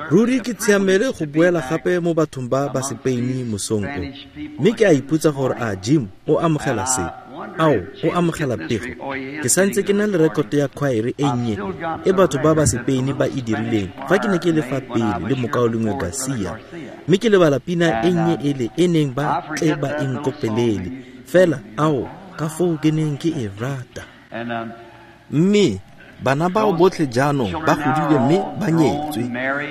Ruri ke tshiamele go boela gape mo bathong ba ba Sepeini mosong o. Mme ke a ipotsa gore a Jim o amogela se. Ao, o amogela pego. Ke santse ke na le rekoto ya khwaere e nnye e batho ba ba Sepeini ba e dirileng fa ke ne ke le fa pele le mokaulengwe Garcia. Mme ke lebala pina e nnye ele e neng ba tle ba e nkopelele. Fela, ao, ka foo ke neng ke e rata. Mme bana bao botlhe jaanong ba godile mme ba nyetswe.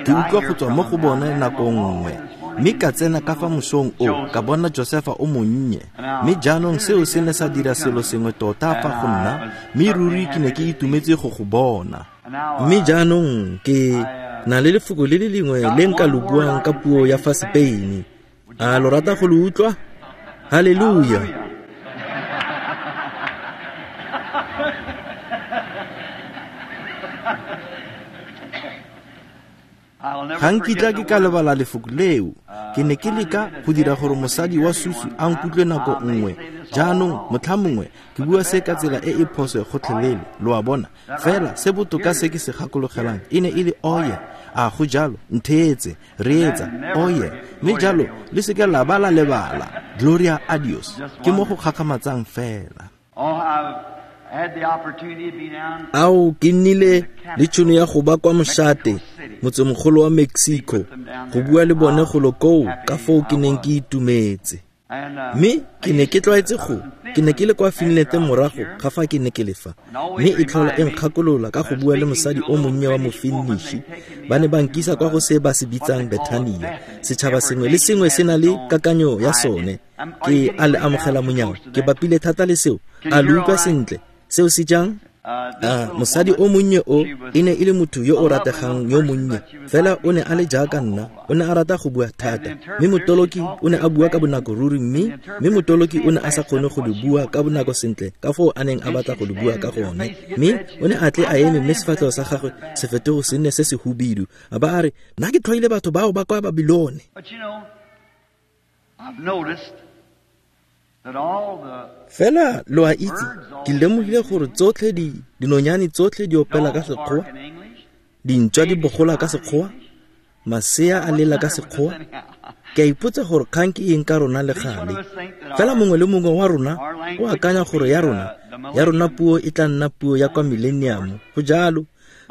Ke utlwa go tswa mo go bone nako nngwe. Mme ka tsena ka fa mosong o, ka bona Josefa o monnye. Mme jaanong seo se ne sa dira selo sengwe tota fa go nna, mme ruri ke ne ke itumetse go go bona. Mme jaanong ke na le lefoko le le lengwe le nka lo buang ka puo ya fa Sepeini. A lo rata go lo utlwa? Haleluya! Ga nkitla ke ka lebala lefoko leo. Ke ne ke leka go dira gore mosadi wa susu a nkutlwe nako nngwe. Jaanong, motlha mongwe, ke bua se ka tsela e e phoso gotlhelele, lo a bona. Fela se botoka se ke se gakologelang e ne e le oye. A go jalo, ntheetse, reetsa, oye. Mme jalo le seke la ba la lebala. Gloria a Dios. Ke mo go gakgamatsang fela. Ao, ke nnile le tšhono ya go ba kwa mošate, motsemogolo wa Mexico, go bua le bone golo koo ka foo ke neng ke itumetse. Mme ke ne ke tlwaetse go, ke ne ke le kwa Finland morago ga fa ke ne ke le fa, mme e tlhola e nkgakolola ka go bua le mosadi o monnye wa Mofinnishi. Ba ne ba nkisa kwa go se ba se bitsang Bethania. Setšhaba sengwe le sengwe se na le kakanyo ya sone. Ke a le amogela monyao, ke bapile thata le seo. A lo utlwa sentle? Seo se jang? A mosadi o monnye o e ne e le motho yo o rategang yo monnye, fela o ne a le jaaka nna, o ne a rata go bua thata. Mme motoloki o ne a bua ka bonako ruri, mme motoloki o ne a sa kgone go le bua ka bonako sentle ka foo a neng a batla go le bua ka gone. Mme o ne a tle a eme mme sefatlhego sa gagwe se fetogo se nne se se hubidu, a ba a re, Nna ke tlhoile batho bao ba kwa Babilone. Fela lo a itse, ke lemogile gore tsotlhe di dinonyane tsotlhe di opela ka Sekgowa, dintšwa di bogola ka Sekgowa, masea a lela ka Sekgowa. Ke a ipotsa gore kgang ke eng ka rona le gale. Fela mongwe le mongwe wa rona o akanya gore ya rona, ya rona puo e tla nna puo ya kwa millennium. Go jalo.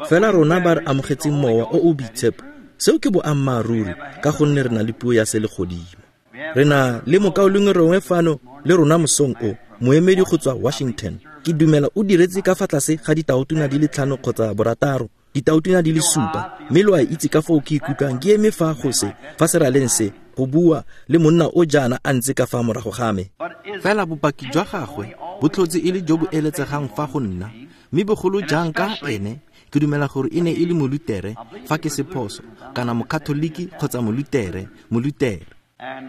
Fela rona ba re amogetseng Mowa o o Boitshepo, seo ke boammaaruri, ka gonne re na le puo ya selegodimo. Re na le mokaulengwe rongwe fano le rona mosong o, moemedi go tswa Washington. Ke dumela o diretse ka fa tlase ga ditaotona di le 5 kgotsa borataro, ditaotona di le 7. Mme lo a itse ka foo ke ikutlwang ke eme fa go se, fa seraleng se, go bua le monna o jaana a ntse ka fa morago ga me. Fela bopaki jwa gagwe bo tlhotse e le jo bo eletsegang fa go nna, mme bogolo jang ka ene, ke dumela gore e ne e le Molutere, fa ke se phoso, kana Mokatholiki kgotsa Molutere, Molutere.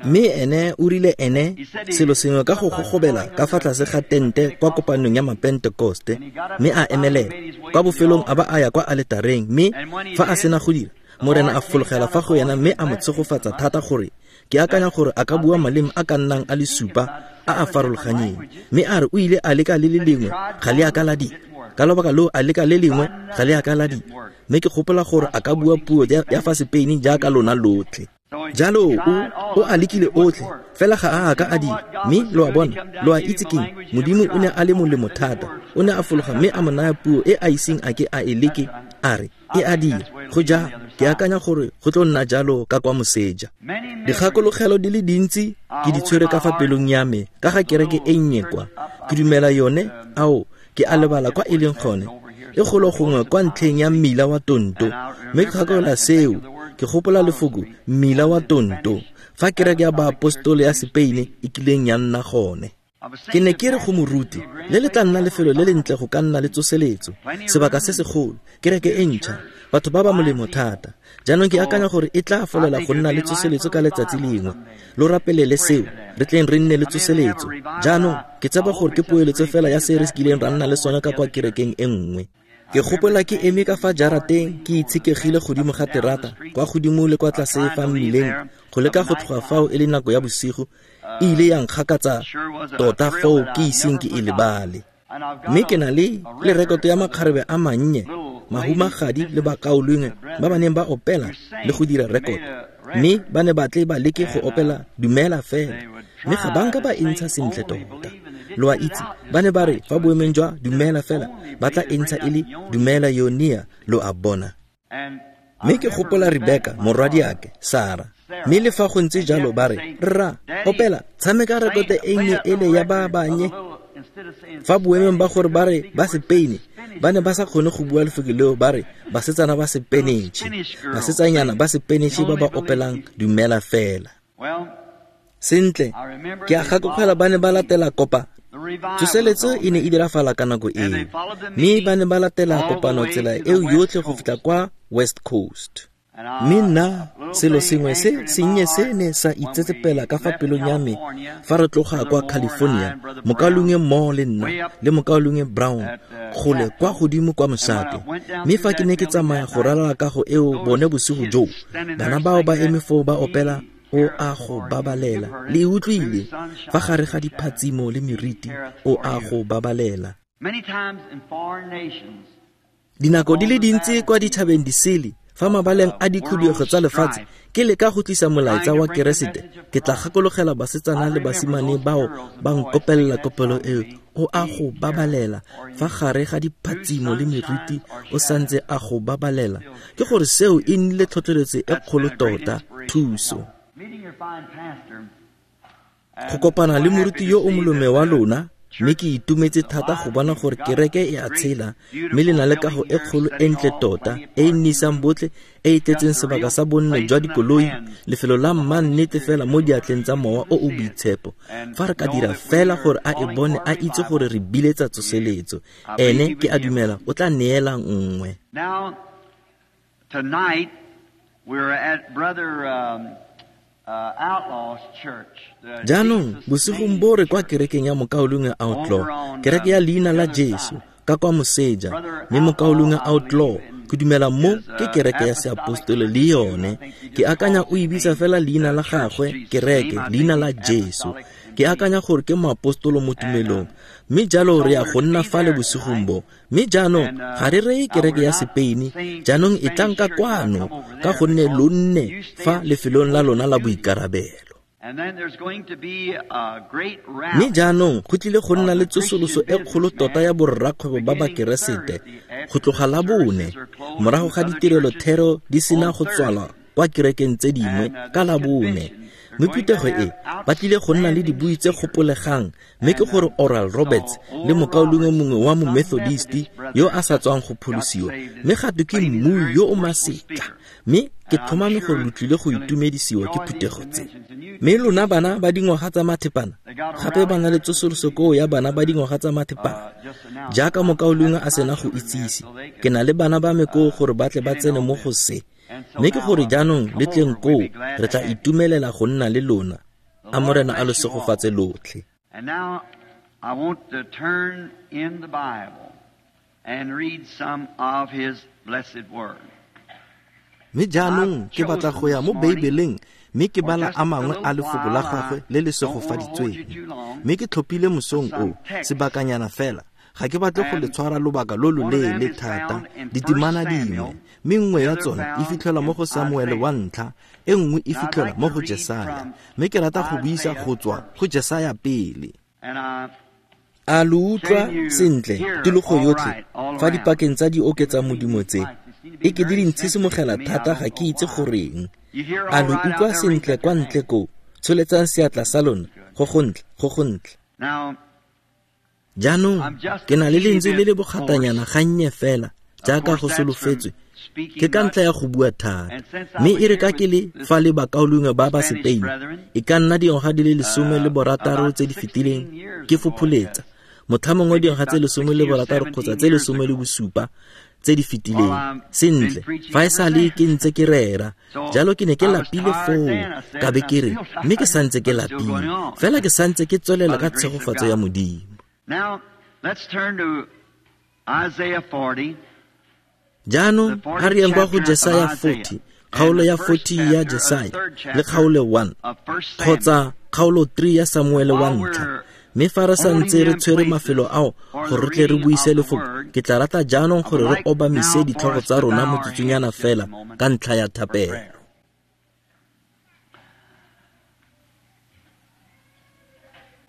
Mme ene o rile ene selo sengwe ka go gogobela ka fa tlase ga tente kwa kopanong ya Mapentekoste, mme a emelela kwa bofelong a ba a ya kwa aletareng, mme fa a sena go dira, Morena a fologela fa go ena mme a mo tshegofatsa thata gore ke akanya gore a ka bua maleme a ka nnang a le 7 a a farologanyeng. Mme a re o ile a leka le le lengwe, ga le a ka la dira. Ka lobaka loo a leka le lengwe, ga le a ka la dira. Mme ke gopola gore a ka bua puo ya fa Sepeini jaaka lona lotlhe. Jalo o a lekile otlhe, fela ga a ka a dira. Mme lo a bona, lo a itse keng, Modimo o ne a le molemo thata. O ne a fologa mme a mo naya puo e a iseng a ke a e leke, a re, e a dira. Go jalo, ke akanya gore go tlo nna jalo ka kwa moseja. Dikgakologelo di le dintsi ke di tshwere ka fa pelong ya me ka ga kereke e nnye kwa. Ke dumela yone, ao, ke a lebala kwa e leng gone. E golo gongwe kwa ntlheng ya mmila wa Tonto. Mme ke gakolola seo, ke gopola lefoko mmila wa Tonto, fa kereke ya baapostolo ya Sepeine e kileng ya nna gone. Ke ne ke re go moruti, le le tla nna lefelo le lentle go ka nna le tsoseletso, sebaka se segolo, kereke e ntšha, batho ba ba molemo thata. Jaanong ke akanya gore e tla folela go nna le tsoseletso ka letsatsi lengwe. Lo rapelele seo, re tleng re nne le tsoseletso. Jaanong ke tshepa gore ke poeletso fela ya se re kileng ra nna le sone ka kwa kerekeng e nngwe. Ke gopola ke eme ka fa jarateng ke itshekegile godimo ga terata, kwa godimo le kwa tlase fa mmileng, go leka go tloga fao e le nako ya bosigo, e ile ya nkgakatsa tota foo ke iseng ke e lebale. Mme ke na le rekoto ya makgarebe a mannye Mahumagadi le bakaulengwe ba ba neng ba opela le go dira rekoto, mme ba ne ba tle ba leke go opela Dumela Fela, mme ga ba nka ba e ntsha sentle tota. Lo a itse, ba ne ba re fa boemeng jwa Dumela Fela ba tla e ntsha e le Dumela Yonia, lo a bona. Mme ke gopola Rebeka, morwadiake, Sara. Mme le fa go ntse jalo ba re, Rra, opela, tshameka rekoto e nnye ele ya ba banye. Fa boemeng ba gore ba re ba Sepeine, ba ne ba sa kgone go bua lefoko leo, ba re basetsana ba Sepenetšhe, basetsanyana ba Sepenetšhe ba ba opelang Dumela Fela. Sentle, ke a gakologelwa ba ne ba latela kopa. Tsoseletso e ne e dirafala ka nako eo, mme ba ne ba latela kopano tsela eo yotlhe go fitlha kwa West Coast. Mme nna, selo sengwe se sennye se ne sa itsetsepela ka fa pelong ya me fa re tloga kwa California, mokaulengwe Moore le nna, le mokaulengwe Brown, kgole kwa godimo kwa mošate. Mme fa ke ne ke tsamaya go ralala kago eo bone bosigo joo, bana bao ba eme foo ba opela O a go babalela. Le e utlwile? Fa gare ga diphatsimo le meriti, O a go babalela. Dinako di le dintsi kwa ditšhabeng di sele, fa mabaleng a dikhuduego tsa lefatshe, ke leka go tlisa molaetsa wa Keresete, ke tla gakologela basetsana le basimane bao ba nkopelela kopelo eo, O a go babalela. Fa gare ga diphatsimo le meriti, o santse a go babalela. Ke gore seo e nnile tlhotlheletso e kgolo tota, thuso. Go kopana le moruti yo o molome wa lona, mme ke itumetse thata go bona gore kereke e a tshela, mme le na le kago e kgolo e ntle tota, e e nnisang botlhe, e e tletseng sebaka sa bonno jwa dikoloi, lefelo la mmannete fela mo diatleng tsa Mowa o o Boitshepo. Fa re ka dira fela gore a e bone, a itse gore re biletsa tsoseletso, ene ke a dumela o tla neela nngwe. Now, tonight, we're at Brother Jaanong, bosigong bo re kwa kerekeng ya Mokaulengwe Outlaw, kereke ya leina la Jesu, ka kwa moseja. Mme Mokaulengwe Outlaw, ke dumela mo ke kereke ya seapostole le yone. Ke akanya o e bitsa fela leina la gagwe, kereke, leina la Jesu. Ke akanya gore ke moapostolo mo tumelong. Mme jalo re ya go nna fale bosigong bo. Mme jaanong ga re reye kereke ya Sepeine, jaanong e tlang ka kwano, ka gonne lo nne fa lefelong la lona la boikarabelo. Mme jaanong go tlile go nna le tsosoloso e kgolo tota ya borrakgwebo ba Bakeresete go tloga la bone, morago ga ditirelo thero di sena go tswalwa kwa kerekeng tse dingwe ka la bone. Mme phuthego e ba tlile go nna le dibui tse gopolegang, mme ke gore Oral Roberts le mokaulengwe mongwe wa Momethodist yo a sa tswang go pholosiwa, mme ga twe ke mmui yo o masetla, mme ke tlhomame gore lo tlile go itumedisiwa ke phuthego tse. Mme lona bana ba dingwaga tsa mathepana, gape ba na le tsosoloso koo ya bana ba dingwaga tsa mathepana, jaaka mokaulengwe a sena go itsise, ke na le bana ba me koo gore ba tle ba tsene mo go se. Mme ke gore jaanong le tleng koo, re tla itumelela go nna le lona. A Morena a lo segofatse lotlhe. And now I want to turn in the Bible and read some of his blessed word. Mme jaanong ke batla go ya mo Beibeleng mme ke bala a mangwe a lefoko la gagwe le le segofaditsweng. Mme ke tlhophile mosong o, sebakanyana fela, ga ke batle go le tshwara lobaka lo loleele thata, ditemana dingwe, mme nngwe ya tsone e fitlhelwa mo go Samuele wa ntlha, e nngwe e fitlhelwa mo go Jesaya. Mme ke rata go buisa go tswa go Jesaya pele. A lo utlwa sentle tikologo yotlhe fa dipakeng tsa di oketsa modumo tse? E ke di di ntshisimogela thata, ga ke itse goreng. A lo utlwa sentle kwa ntle koo? Tsholetsang seatla sa lona. Go gontle, go gontle. Jaanong ke na le lentswe le le bogatanyana gannye fela, jaaka go solofetswe, ke ka ntlha ya go bua thata. Mme e re ka ke le fa le bakaulengwe ba ba Sepeine, e ka nna dingwaga di le 16 tse di fetileng, ke fopholetsa, motlhamongwe dingwaga tse 16 kgotsa tse 17 tse di fetileng. Sentle, fa e sale ke ntse ke rera, jalo ke ne ke lapile foo, ka be ke re, mme ke santse ke lapile, fela ke santse ke tswelela ka tshegofatso ya Modimo. Now, let's turn to Isaiah 40. Jaanong a re yeng kwa go Jesaya 40, kgaolo ya 40 ya Jesaya, le kgaolo 1, kgotsa kgaolo 3 ya Samuele wa ntlha. Mme fa re santse re tshwere mafelo ao gore re tle re buise lefoko, ke tla rata jaanong gore re obamise ditlhogo tsa rona motsotsonyana fela ka ntlha ya thapelo.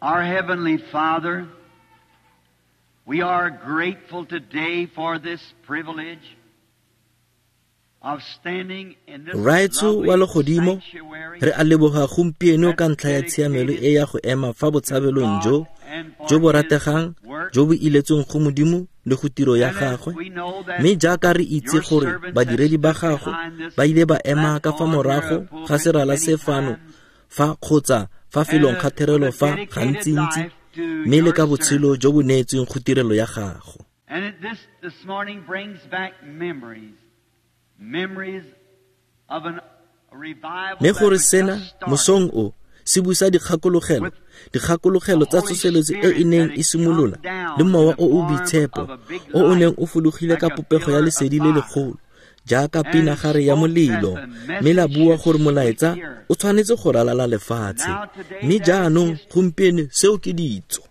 Our Heavenly Father, we are grateful today for this privilege of standing in this Raetsho wa legodimo, re a leboga gompieno ka ntlha ya tshiamelo e ya go ema fa botshabelong jo jo bo rategang jo bo iletsweng go Modimo le go tiro ya gagwe. Mme jaaka re itse gore badiredi ba gago ba ile ba ema ka fa morago ga serala se fano fa kgotsa fa felong ga therelo fa gantsintsi, mme le ka botshelo jo bo neetsweng go tirelo ya gago. And this morning brings back memories of a revival. Mme gore sena mosong o se busa dikgakologelo tsa tsoseletso e e neng e simolola le mowa o o boitshepo o o neng o fologile ka popego ya lesedi le legolo jaaka pinagare ya molelo, mme la bua gore molaetsa o tshwanetse go ralala lefatshe. Mme jaanong gompieno seo ke ditso.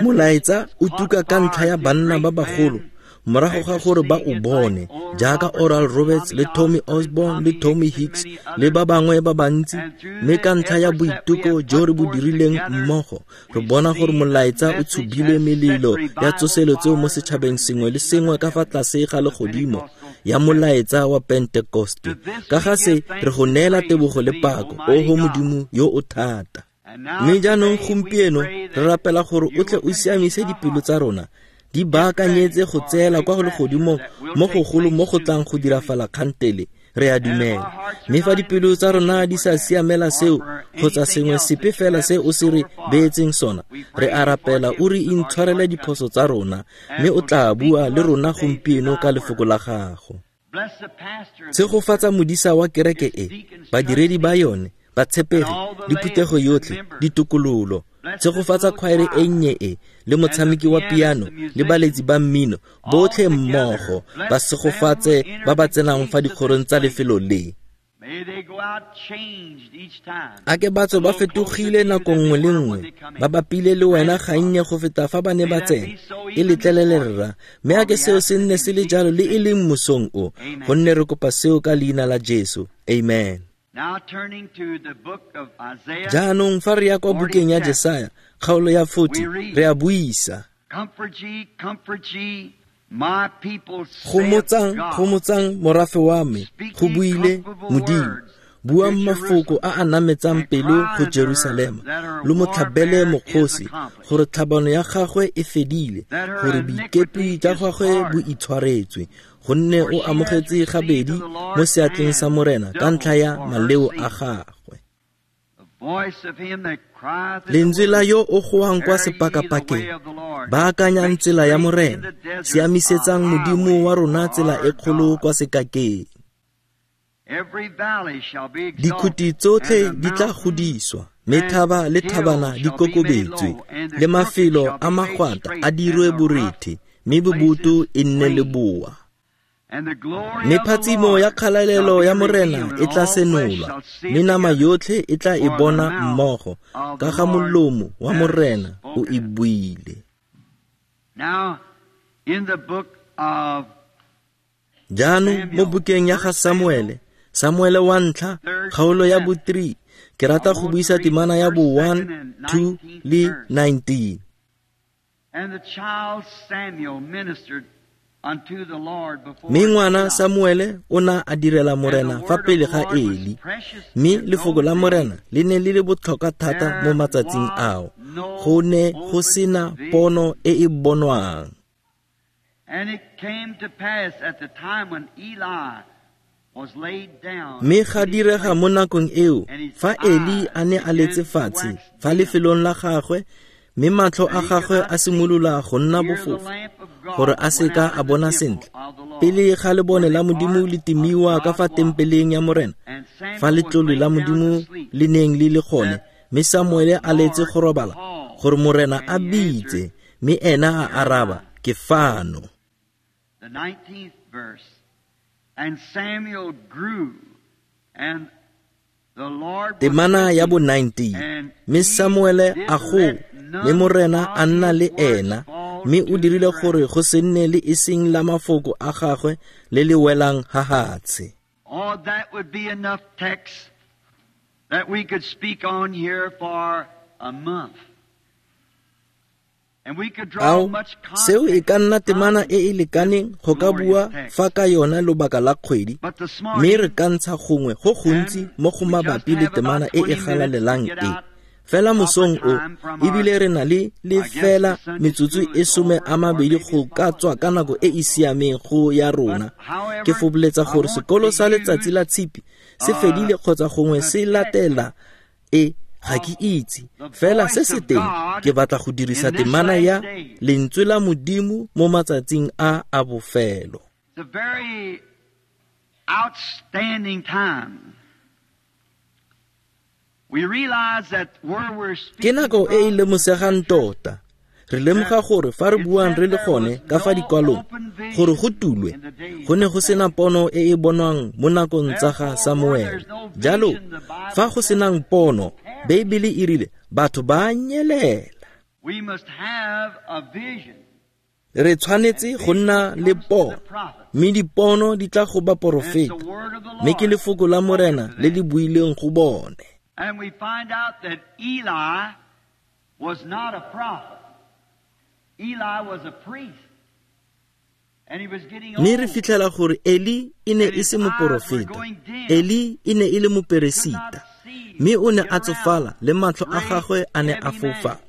Molaetsa o tuka ka ntlha ya banna ba bagolo morago ga gore ba o bone, jaaka Oral Roberts le Tommy Osborne le Tommy Hicks le ba bangwe ba bantsi. Mme ka ntlha ya boiteko jo re bo dirileng mmogo, re bona gore molaetsa o tshubile melelo ya tsoseletso mo setšhabeng sengwe le sengwe ka fa tlase ga legodimo ya molaetsa wa Pentekoste. Ka ga se re go neela tebogo le pako, oho Modimo yo o thata. Mme jaanong gompieno re rapela gore o tle o siamise dipelo tsa rona, di baakanyetse go tseela kwa legodimong mo gogolo mo go tlang go dirafala kgantele, re a dumela. Mme fa dipelo tsa rona di sa siamela seo kgotsa sengwe sepe fela se o se re beetseng sona, re a rapela o re intshwarele diphoso tsa rona, mme o tla bua le rona gompieno ka lefoko la gago. Tshegofatsa modisa wa kereke e, badiredi ba yone, batshepegi, le phuthego yotlhe, ditokololo. Tshegofatsa khwaere e nnye e le motshameki wa piano le baletsi ba mmino botlhe mmogo, ba segofatse ba ba tsenang fa dikgorong tsa lefelo le. A ke batho ba fetogile nako nngwe le nngwe, ba bapile le wena gannye go feta fa ba ne ba tsena. E letlelele rra, mme a ke seo se nne se le jalo le e leng mosong o, gonne re kopa seo ka leina la Jesu. Amen. Jaanong fa re ya kwa bukeng ya Jesaya, kgaolo ya 40, re a buisa. Gomotsang, gomotsang morafe wa me, go buile Modimo. Buang mafoko a a nametsang pelo go Jerusalema, lo mo tlhabele mokgosi gore tlhabano ya gagwe e fedile, gore boikepi jwa gagwe bo itshwaretswe, gonne o amogetse gabedi mo seatleng sa Morena ka ntlha ya maleo a gagwe. Lentswe la yo o goang kwa sepakapakeng, baakanyang tsela ya Morena, siamisetsang Modimo wa rona tsela e kgolo kwa sekakeng. Dikhuti tsotlhe di tla godiswa, mme thaba le thabana di kokobetswe, le mafelo a magwata a dirwe borethe, mme boboto e nne leboa. Mme phatsimo ya kgalalelo ya Morena e tla senolwa, mme nama yotlhe e tla e bona mmogo, ka ga molomo wa Morena o e buile. Jaanong mo bukeng ya ga Samuele, Samuele wa ntlha, kgaolo ya bo 3, ke rata go buisa temana ya bo 1, 2 le 19. Mme ngwana Samuele o na a direla Morena fa pele ga Eli, mme lefoko la Morena le ne le le botlhokwa thata mo matsatsing ao, go ne go sena pono e e bonwang. Mme ga direga mo nakong eo, fa Eli a ne a letse fatshe fa lefelong la gagwe, mme matlho a gagwe a simolola go nna bofofu, gore a seka a bona sentle, pele ga lebone la Modimo le timiwa ka fa tempeleng ya Morena, fa letlole la Modimo le neng le le gone, mme Samuele a letse go robala, gore Morena a bitse, mme ena a araba, ke fano. Temana ya bo 19, mme Samuele a gola, Mme Morena a nna le ena, mme o dirile gore go se nne le eseng la mafoko a gagwe le le welang hahatshe. Oh, that would be enough text that we could speak on here for a month. And we could draw Ao, much seo e ka nna context temana from e e lekaneng go ka bua fa ka yona lobaka la kgwedi, But this mme re morning, ka ntsha gongwe go gontsi mo go mabapi le temana e e galalelang e. Fela mosong o, ebile re na le lefela metsotso e 20 go ka tswa ka nako e e siameng go ya rona. Ke fopholetsa gore sekolo sa letsatsi la tshipi se fedile kgotsa gongwe se latela e, ga ke itse. Fela se se teng, ke batla go dirisa temana ya lentswe la Modimo mo matsatsing a a bofelo. It's a very outstanding time. We realize that where we're Ke speaking nako e e from, lemosegang tota. Re lemoga gore fa re buang re le gone ka fa dikwalong gore go tulwe, go ne go sena pono e e bonwang mo nakong tsa ga Samuele. Jalo, fa go senang pono, Beibele e rile batho ba nyelela. we must have a vision. Re tshwanetse go nna le pono, mme dipono di tla go And it's the baporofeta, word of the mme ke Lord. lefoko la Morena le le buileng go bone. And we find out that Eli was not a prophet. Eli was a priest. And he was getting Mme re old. fitlhela gore Eli e ne e se moporofeta. Eli e ne e le moperesita, mme o ne a tsofala le matlho a gagwe a ne a foufala,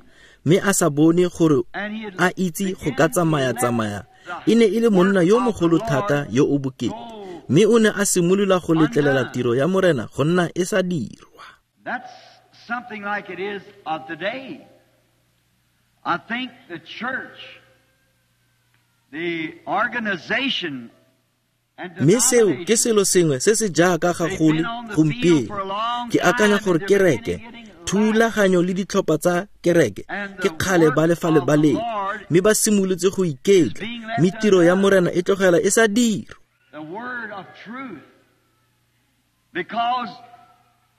mme a sa bone gore And he had a itse go ka began to let tsamaya-tsamaya. the E ne e le monna yo work of the mogolo Lord thata yo o bokete, go mme o ne a simolola go letlelela undone. tiro ya Morena go nna e sa dirwa. That's something like it is of today. I think the church, the organization, and Mme seo ke denomination, selo sengwe se se jaaka they've gagolo been on the field gompieno. for a long Ke akanya time and gore they're kereke, beginning getting lax. thulaganyo le ditlhopha tsa kereke And ke the kgale ba work le fa of the lebaleng, Lord mme ba simolotse go is iketla, being left mme tiro ya undone. Morena e tlogela e sa dirwa. The word of truth. Because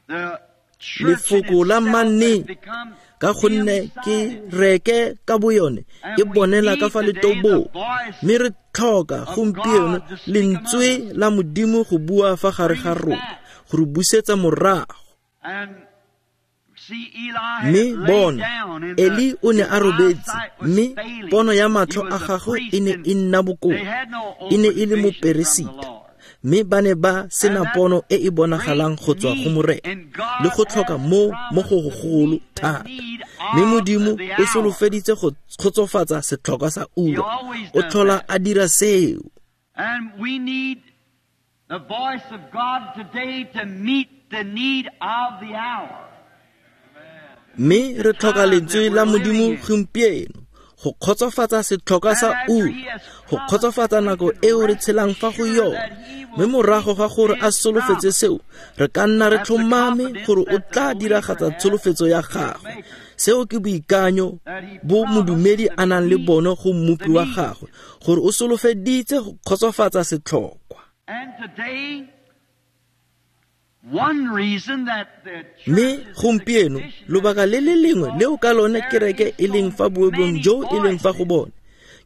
the church in Lefoko la itself has mannete, become ka gonne ke dim-sighted. reke ka boyone And e we bonela ka need fa today the letobong, voice mme re tlhoka of gompieno God to speak among lentswe us. la Modimo go bua fa gare Bring ga us rona, back. go re busetsa morago. And see, Eli had Mme laid bona, down and Eli o ne his a robetse, eyesight was mme failing. pono ya He matlho a was a gagwe e priest ne and e nna they bokoa. had no E ne open e le vision from the moperesita, Lord. mme ba ne ba And sena that pono e e great bonagalang go tswa go need, Morena, and le God go tlhoka has mo mo go promised to gogolo meet the thata. need Mme of Modimo the o hour. solofeditse go kgotsofatsa setlhokwa sa He ura, always o does tlhola that. a dira seo. And we need the voice of God today to meet the need of the hour. Mme The re tlhoka time that lentswe we're la living Modimo in. gompieno go kgotsofatsa setlhokwa And sa after ura, He has go promised, kgotsofatsa we nako can eo re rest tshelang fa go assured yone. that He Mme will morago keep ga gore a His solofetse promise. seo, re ka nna re That's the tlhomame confidence gore o that the tla believer diragatsa has tsholofetso ya in his gagwe. Maker. Seo ke boikanyo That He bo promised modumedi to a nang le meet bone go mmopi the wa need. gagwe, gore o solofeditse go kgotsofatsa setlhokwa. And today, one reason that the church Mme is in the gompieno condition that lobaka it le is le lengwe because leo ka lone there kereke is e leng so fa boemong many jo e leng fa go voices. bone,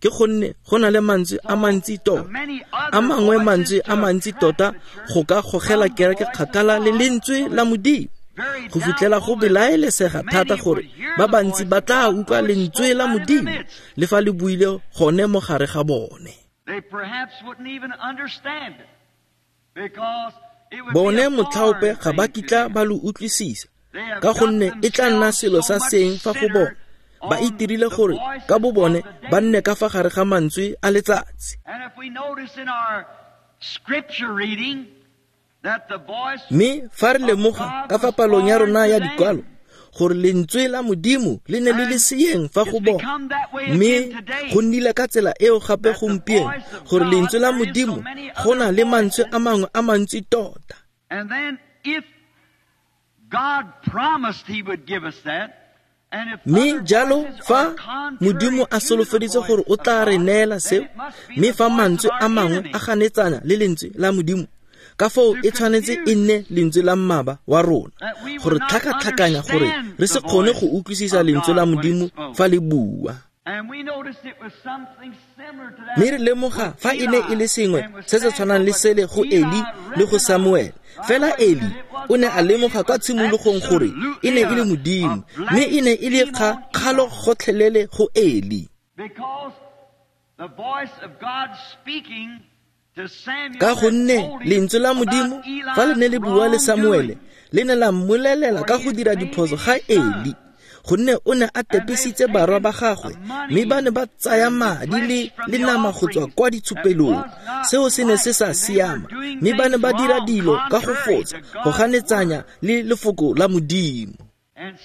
ke gonne go na le mantswe a So mantsi the tota, many a other mangwe voices mantswe to a mantsi attract tota the church go ka gogela from the kereke voice of kgakala le God lentswe so la it's Modimo, very go fitlhela go doubtful that belaelesega thata many gore would hear ba the bantsi voice ba of tla God utlwa though it lentswe spoke la right in their Modimo midst. le fa le buile gone mo gare ga bone. They perhaps wouldn't even understand it because it would be Bone a motlhaope foreign ga ba thing to kitla them. ba lo utlwisisa, They have ka got gonne e tla nna themselves selo so sa much seng fa go bone. centered Ba on itirile the gore ka voices bo of bone the ba day. nne ka fa gare ga mantswe a letsatsi. And if we notice in our scripture reading that the voice Mme fa re of lemoga God ka fa was palong ya foreign rona to ya them, dikwalo gore lentswe la Modimo le ne le le and seeng fa it's go bone, become that way mme again today go nnile ka tsela eo gape that the gompieno voice of gore God, lentswe la there is so Modimo many go other na le mantswe voices. a mangwe a mantsi tota. And then if God promised He would give us that, and if Mme other jalo voices are fa contrary Modimo a to the solofeditse voice gore o of tla re God, neela then seo, it must be mme the fa voice of mantswe our a mangwe enemy. a ganetsana le lentswe la Modimo, Ka foo e tshwanetse e nne lentswe la mmaba wa rona gore tlhakatlhakanya gore re se kgone go utlwisisa lentswe la Modimo fa le bua. Mme re lemoga fa e ne e le sengwe se se tshwanang le sele go Eli le go Samuele. Fela Eli o ne a lemoga kwa tshimologong gore e ne e le Modimo, mme e ne e le kgalo gotlhelele go Eli. Ka gonne lentswe la Modimo fa le ne le bua le Samuele le ne la mmolelela ka go dira diphoso ga Eli, gonne o ne a tepisitse barwa ba gagwe, mme ba ne ba tsaya madi le nama go tswa kwa ditshupelong. Seo se ne se sa siama, mme ba ne ba dira dilo ka go fotsa, go ganetsanya le lefoko la Modimo.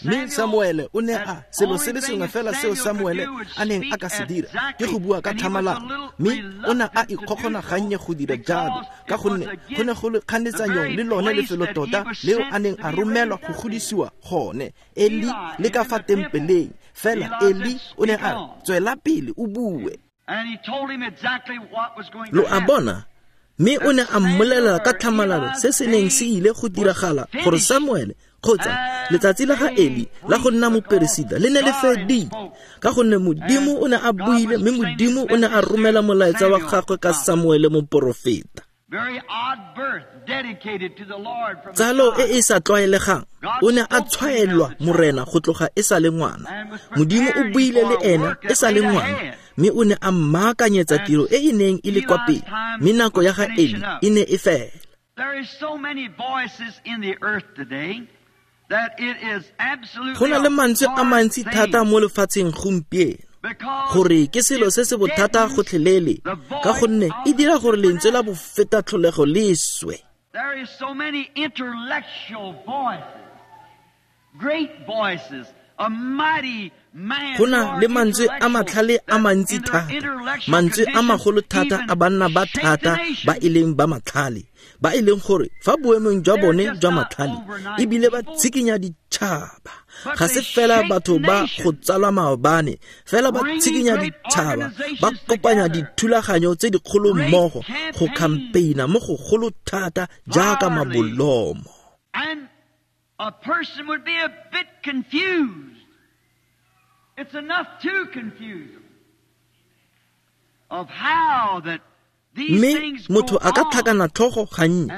Mme Samuele o ne a selo se le sengwe fela seo Samuele a neng a ka se dira ke go bua ka tlhamalalo, mme o ne a ikgogona gannye go dira jalo ka gonne go ne go le kganetsanyong le lone lefelo tota leo a neng a romelwa go godisiwa gone, Eli le ka fa tempeleng. Fela Eli o ne a tswela pele o bue. Lo a bona? Mme o ne a mmolelela ka tlhamalalo se se neng se ile go diragala gore Samuele kgotsa letsatsi la ga Eli la go nna moperesita le ne le fedile, ka gonne Modimo o ne a buile, mme Modimo o ne a romela molaetsa wa gagwe ka Samuele moporofeta. Tsalo e e sa tlwaelegang, o ne a tshwaelwa Morena go tloga e sa le ngwana. Modimo o buile le ena e sa le ngwana, mme o ne a mmaakanyetsa tiro e e neng e le kwa pele, mme nako ya ga Eli e ne e fela. Go na le mantswe a mantsi thata mo lefatsheng gompieno gore ke selo se se bothata gotlhelele, ka gonne e dira gore lentswe la bofeta tlholego le swe. Go na le mantswe a matlhale a mantsi thata, mantswe a magolo thata a banna ba thata ba e leng ba matlhale, ba e leng gore fa boemong jwa bone jwa matlhale ebile ba tshikinya ditšhaba. Ga se fela batho ba go tsalwa maobane, fela ba tshikinya ditšhaba, ba kopanya dithulaganyo tse dikgolo mmogo go campaigna mo go golo thata jaaka mabolomo. A person would be a bit confused. It's enough to confuse them of how that these things go on. Mme motho a ka tlhakana tlhogo gannye,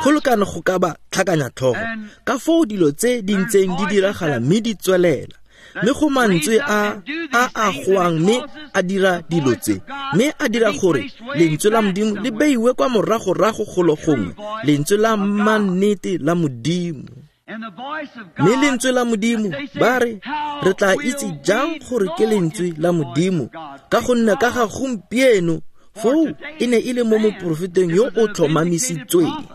go lekane go ka ba tlhakanya tlhogo ka foo dilo tse di ntseng di diragala mme di tswelela. Mme go mantswe a a goang mme a dira dilo tse, mme a dira gore lentswe la Modimo le beiwe kwa moragorago golo gongwe, lentswe la mannete la Modimo. Mme lentswe la Modimo, ba re, re tla itse jang gore ke lentswe la Modimo, ka gonne ka ga gompieno foo e ne e le mo moporofeteng yo o tlhomamisitsweng.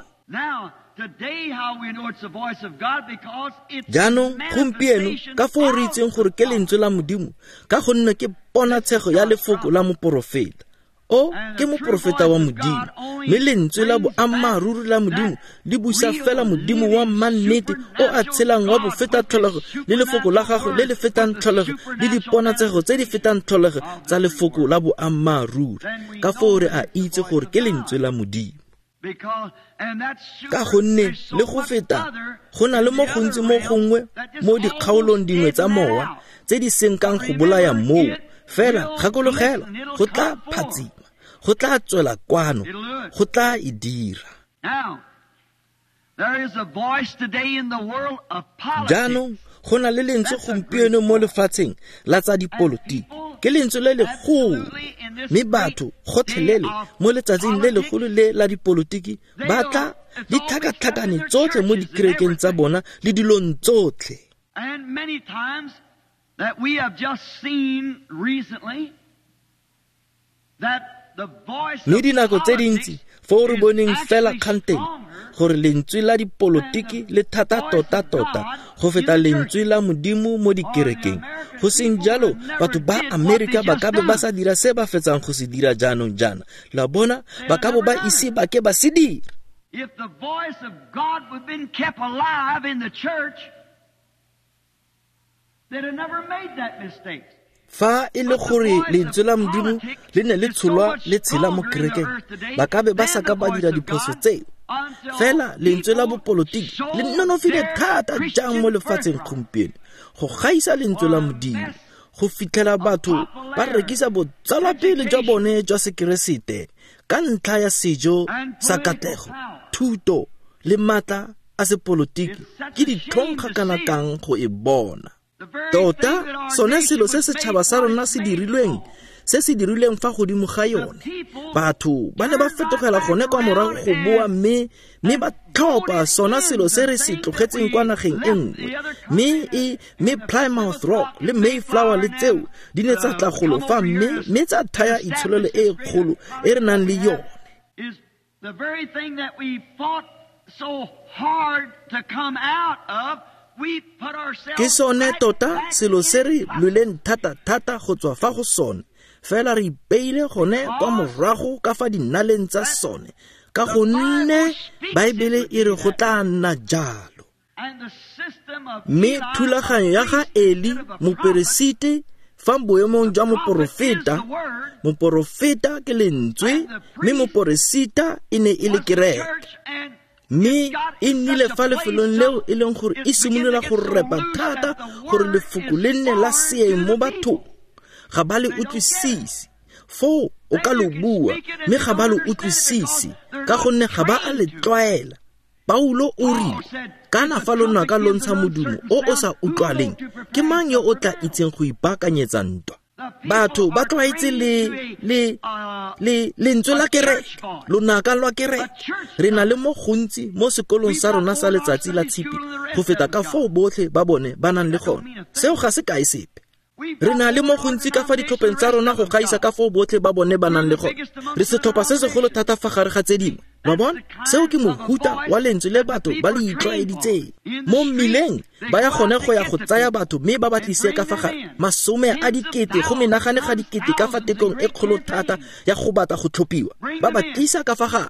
Jaanong gompieno ka foo re itseng gore ke lentswe la Modimo, ka gonne ke ponatshego ya lefoko la moporofeta. O ke moporofeta wa Modimo, mme lentswe la boammaaruri la Modimo le busa fela Modimo wa mannete o a tshelang wa bofeta tlholego le lefoko la gagwe le le fetang tlholego le diponatsego tse di fetang tlholego tsa lefoko la boammaaruri. Ka foo re a itse gore ke lentswe la Modimo. Ka gonne le go feta go na le mo gontsi mo gongwe mo dikgaolong dingwe tsa mowa tse di senkang go bolaya moo, fela gakologela go tla phatsima, go tla tswela kwano, go tla e dira. Jaanong go na le lentswe gompieno mo lefatsheng la tsa dipolotiki, ke lentswe le legolo, mme batho gotlhelele mo letsatsing le legolo le la dipolotiki ba tla di tlhakatlhakane tsotlhe mo dikerekeng tsa bona le dilong tsotlhe. Mme dinako tse dintsi foo re boneng fela kganteng gore lentswe la dipolotiki le thata tota-tota go feta lentswe la Modimo mo dikerekeng. Go seng jalo batho ba Amerika ba ka bo ba sa dira se ba fetsang go se dira jaanong jaana. La bona, ba ka bo ba ise ba ke ba se dira. If the voice of God would have been kept alive in the church, they'd have never made that mistake. Fa e le gore lentswe la Modimo le ne le tsholwa le tshela mo kerekeng, ba ka be ba sa ka ba dira diphoso tseo. Fela lentswe la bopolotiki le nonofile thata jang mo lefatsheng gompieno go gaisa lentswe la Modimo, go fitlhela batho ba rekisa botsalwapele jwa bone jwa sekeresete ka ntlha ya sejo sa katlego, thuto le maatla a sepolotiki. Ke ditlhong ga kana kang go e bona. Tota sone selo se setšhaba sa rona se dirilweng, se se dirilweng fa godimo ga yone, batho ba ne ba fetogela gone kwa morago go boa mme ba tlhopa sona selo se re se tlogetseng kwa nageng e nngwe. Mme Plymouth Rock le Mayflower le tseo di ne tsa tla golo fa mme tsa thaya itsholelo e kgolo e re nang le yone. The very thing that we fought so hard to come out of, we put ourselves Ke sone tota selo se re lweleng thata-thata go tswa fa go sone, fela re ipeile gone kwa morago ka fa dinaleng tsa sone, ka gonne Baebele e re go tla nna jalo. Mme thulaganyo ya ga Eli moperesiti fa boemong jwa moporofeta, moporofeta ke lentswe, mme moporesita e ne e le kereke. Mme e nnile fa lefelong leo e leng gore e simolola go repa thata gore lefoko le nne la seeng mo bathong. Ga ba le utlwisise. Foo o ka lo bua, mme ga ba lo utlwisise ka gonne ga ba a le tlwaela. Paulo o rile, kana fa lonaka lo ntsha modumo o o sa utlwaleng, ke mang yo o tla itseng go ipaakanyetsa ntwa? Batho ba tlwaetse le lentswe la kereke, lonaka lwa kereke. Re na le mo gontsi mo sekolong sa rona sa letsatsi la tshipi go feta ka foo botlhe ba bone ba nang le gone. Seo ga se kae sepe. Re na le mo gontsi ka fa ditlhopheng tsa rona go gaisa ka foo botlhe ba bone ba nang le gone. Re setlhopha se segolo thata fa gare ga tse dingwe. Wa bona? Seo ke mohuta wa lentswe le batho ba le itlwaeditseng. Mo mmileng ba ya gone go ya go tsaya batho mme ba ba tlise ka fa gare 10 a dikete go menagane ga dikete ka fa tekong e kgolo thata ya go batla go tlhophiwa. Ba ba tlisa ka fa gare.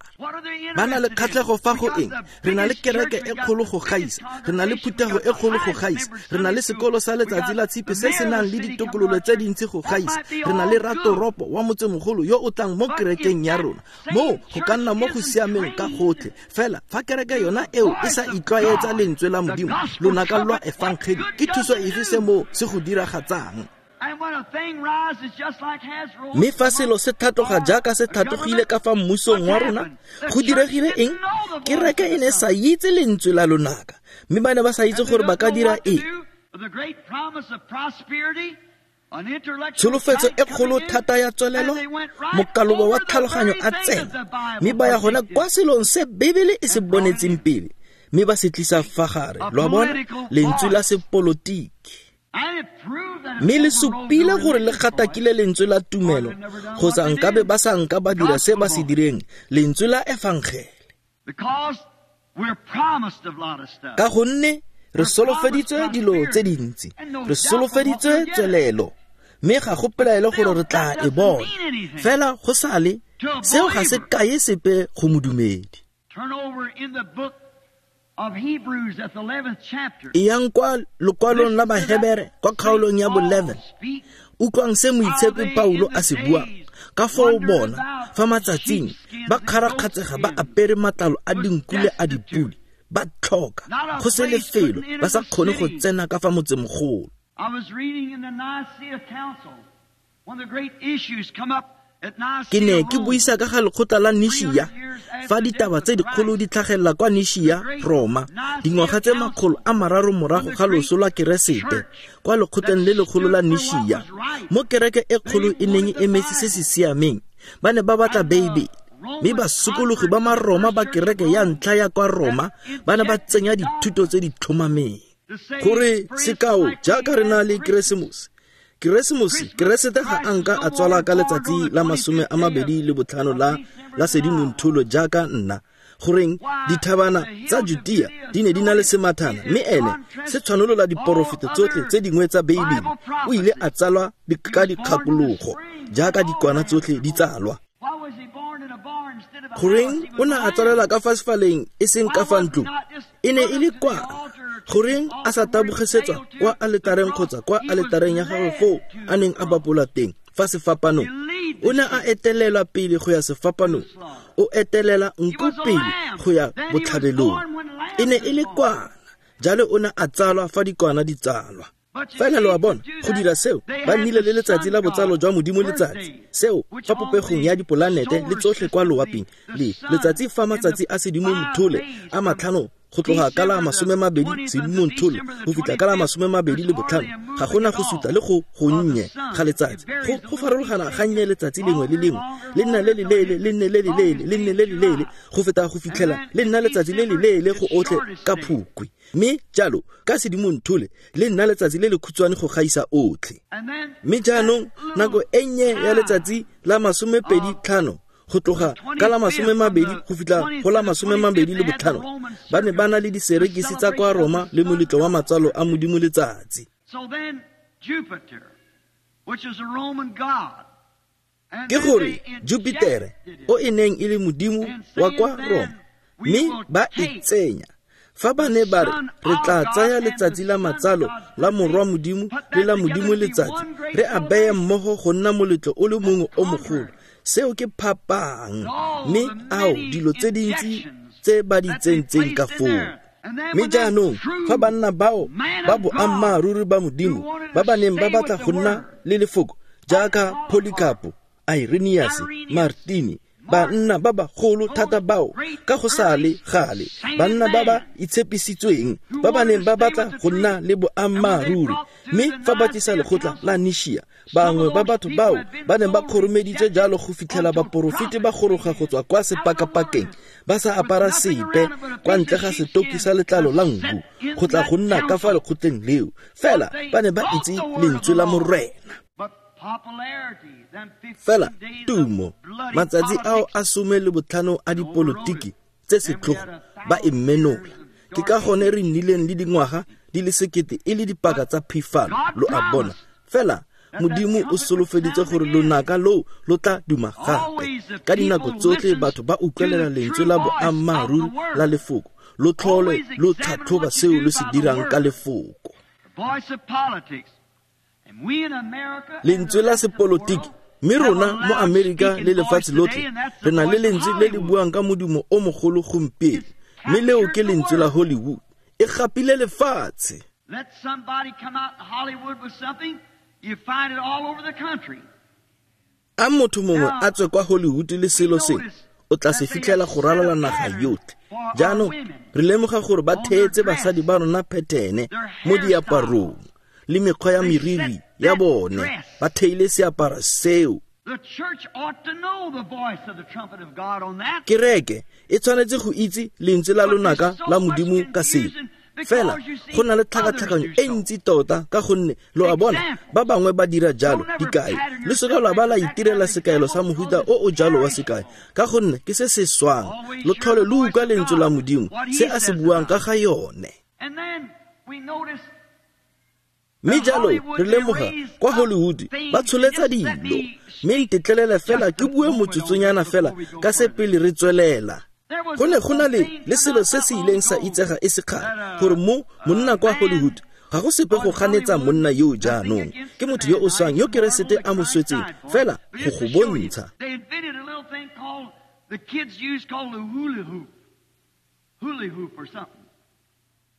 Ba na le kgatlhego fa go eng? Re na le kereke e kgolo go gaisa, re na le phuthego e kgolo go gaisa, re na le sekolo sa letsatsi la tshipi se se nang le ditokololo tse dintsi go gaisa, re na le ratoropo wa motsemogolo yo o tlang mo kerekeng ya rona. Moo go ka nna mo go siameng ka gotlhe, fela fa kereke yona eo e sa itlwaetsa lentswe la Modimo, lonaka lwa efangeli, ke thuso efe se mo se go diragatsang? Mme fa selo se tlhatloga jaaka se tlhatlogile ka fa mmusong wa rona, go diregile eng? Kereke e ne sa itse lentswe la lonaka, mme ba ne ba sa itse gore ba ka dira eng. Tsholofetso e kgolo thata ya tswelelo, mokaloba wa tlhaloganyo a tsena, mme ba ya gona kwa selong se Bebele e se bonetseng pele, mme ba se tlisa fa gare. Lo a bona? Lentswe la sepolotiki. Mme le supile gore le gatakile lentswe la tumelo, kgotsa nkabe ba sa nka ba dira se ba se direng, lentswe la efangele. Ka gonne re solofeditswe dilo tse dintsi, re solofeditswe tswelelo, mme ga go pelaelo gore re tla e bona. Fela go sale, seo ga se kae sepe go modumedi. Eyang kwa lokwalong la Bahebere kwa kgaolong ya bo-11. Utlwang se moitshepi Paulo a se buang. Ka foo bona fa matsatsing ba kgarakgatsega ba apere matlalo a dinku le a dipudi, ba tlhoka go se lefelo, ba sa kgone go tsena ka fa motsemogolo. Ke ne ke buisa ka ga lekgotla la Nishia fa ditaba tse dikgolo di tlhagelela kwa Nishia, Roma, dingwaga tse 300 morago ga loso lwa Keresete, kwa lekgotleng le legolo la Nishia, mo kereke e kgolo e neng e emetse se se siameng. Ba ne ba batla Beibele, mme basokologi ba Maroma ba kereke ya ntlha ya kwa Roma ba ne ba tsenya dithuto tse di tlhomameng. Gore sekao jaaka re na le Keresemose, Keresete ga a nka a tswala ka letsatsi la 25 la Sedimontholo jaaka nna. Goreng dithabana tsa Judea di ne di na le semathana, mme ene se tshwanolola diporofeto tsotlhe tse dingwe tsa Beibele. O ile a tsalwa ka dikgakologo jaaka dikwana tsotlhe di tsalwa. Goreng o ne a tsalelwa ka fa sefaleng e seng ka fa ntlong? E ne e le kwana. Goreng a sa tabogesetswa kwa aletareng kgotsa kwa aletareng ya gagwe foo a neng a bapola teng fa sefapanong? O ne a etelelwa pele go ya sefapanong, o etelela nku pele go ya botlhabelong. E ne e le kwana, jalo o ne a tsalwa fa dikwana di tsalwa. Fela lo a bona, go dira seo, ba nnile le letsatsi la botsalo jwa Modimo letsatsi, seo fa popegong ya dipolanete le tsotlhe kwa loaping, le letsatsi fa matsatsi a Sedimonthole a 5 go tloga ka la 20 Sedimonthole go fitlha ka la 25, ga gona go suta le go gonnye ga letsatsi. Go farologana gannye letsatsi lengwe le lengwe, le nna le leleele, le nne le leleele, le nne le leleele, go feta go fitlhela le nna letsatsi le leleele go otlhe ka Phukwi. Mme jalo ka Sedimonthole le nna letsatsi le le khutshwane go gaisa otlhe. Mme jaanong nako e nnye ya letsatsi la 25 go tloga ka la 20 go fitlha go la 25, ba ne ba na le diserekisi tsa kwa Roma le moletlo wa matsalo a Modimo letsatsi. Ke gore Jupitere, o e neng e le modimo wa kwa Roma, mme ba e tsenya. Fa ba ne ba re re tla tsaya letsatsi la matsalo la morwa Modimo le la Modimo letsatsi, re a beye mmogo go nna moletlo o le mongwe o mogolo. Seo ke phapang, mme ao dilo tse dintsi tse ba di tsentseng ka foo. Mme jaanong fa banna bao ba boammaaruri ba Modimo ba ba neng ba batla go nna le lefoko jaaka Polycarpo, Irenaeus, Martini, banna ba bagolo thata bao ka go sa le gale, banna ba ba itshepisitsweng ba ba neng ba batla go nna le boammaaruri. Mme fa ba tlisa lekgotla la Nishia, bangwe ba batho bao ba neng ba kgoromeditswe jalo go fitlhela baporofeti ba goroga go tswa kwa sepakapakeng ba sa apara sepe kwa ntle ga setoki sa letlalo la nku go tla go nna ka fa lekgotleng leo, fela ba ne ba itse lentswe la Morena. Fela tumo, matsatsi ao a 15 a dipolotiki tse setlhogo ba e menola. Ke ka gone re nnileng le dingwaga di le 1000 e le dipaka tsa phifalo, lo a bona. Fela Modimo o solofeditse gore lonaka loo lo tla duma gape. Ka dinako tsotlhe batho ba utlwelela lentswe la boammaaruri la lefoko, lo tlhole lo tlhatlhoba seo lo se dirang ka lefoko. Lentswe la sepolotiki, mme rona mo Amerika le lefatshe lotlhe re na le lentswe le le buang ka modumo o mogolo gompieno, mme leo ke lentswe la Hollywood. E gapile lefatshe. A motho mongwe a tswe kwa Hollywood le selo sengwe, o tla se fitlhela go ralala naga yotlhe. Jaanong re lemoga gore ba theetse basadi ba rona phethene mo diaparong le mekgwa ya meriri ya bone, ba theile seaparo seo. Kereke e tshwanetse go itse lentswe la lonaka la Modimo ka seo. Fela go na le tlhakatlhakanyo e ntsi tota ka gonne lo a bona ba bangwe ba dira jalo. Dikai, le seka lwa ba la itirela sekaelo sa mohuta o o jalo wa sekai, ka gonne ke se se swang. Lo tlhole lo utlwa lentswe la Modimo, se a se buang ka ga yone. Mme jalo re lemoga kwa Hollywood ba tsholetsa dilo, mme ntetlelele fela ke bue motsotsonyana fela ka se pele re tswelela. Go ne go na le selo se se ileng sa itsega e se kgale, gore mo monna kwa Hollywood ga go sepe go ganetsa monna yo jaanong, ke motho yo o swang yo Keresete a mo swetseng, fela go go bontsha.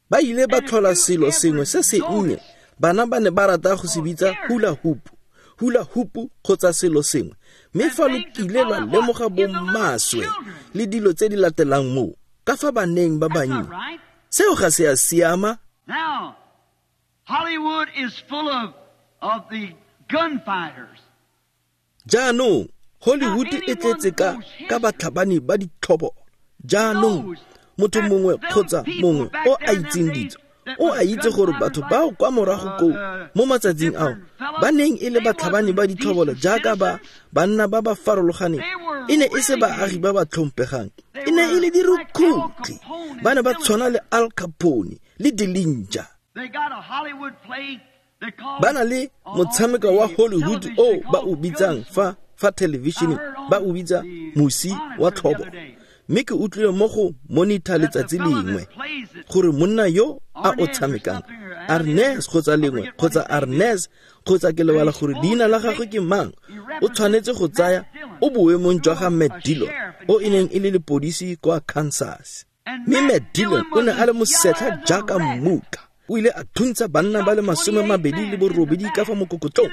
Ba ile ba tlhola selo sengwe se se nnye, bana ba ne ba rata go se bitsa hula hoop, hula hoop kgotsa selo sengwe. Mme fa lo kile lwa lemoga bomaswe le dilo tse di latelang moo, ka fa baneng ba bannye, seo ga se a siama. Jaanong Hollywood e tletse ka batlhabani ba ditlhobo. Jaanong motho mongwe kgotsa mongwe o a itseng ditso, o a itse gore batho bao kwa morago koo mo matsatsing ao ba neng e le batlhabani ba ditlhobolo jaaka ba banna ba ba farologaneng, e ne e se baagi ba ba tlhomphegang, e ne e le dirukutlhi. Ba ne ba tshwana le Al Capone le Dillinger. Ba na le motshameko wa Hollywood o ba o bitsang fa television ba o bitsa mosi wa tlhobo. Mme ke utlwile mo go Monitor letsatsi lengwe gore monna yo a o tshamekang, Arnez kgotsa lengwe, kgotsa Arnez, kgotsa ke lebala gore leina la gagwe ke mang, o tshwanetse go tsaya o boemong jwa ga Matt Dillon, o e neng e le lepodisi kwa Kansas. Mme Matt Dillon o ne a le mosetlha jaaka mmuka. O ile a thuntsha banna ba le 28 ka fa mokokotlong,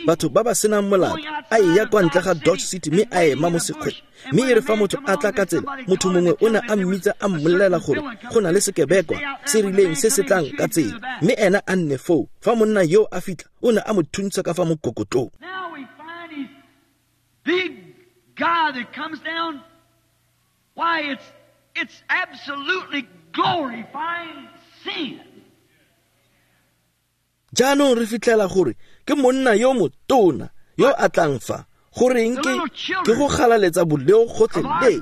batho ba ba senang molato, a eya kwa ntle ga Dodge City mme a ema mo sekgweng. Mme e re fa motho a tla ka tsela, motho mongwe o ne a mmitsa a mmolelela gore go na le sekebekwa se rileng se se tlang ka tsela, mme ena a nne foo. Fa monna yo a fitlha, o ne a mo thuntsha ka fa mokokotlong. Now we find he's big guy that comes down. Why, it's absolutely glorifying sin. Jaanong re fitlhela gore ke monna yo motona yo a tlang fa, goreng ke go galaletsa boleo gotlhelele.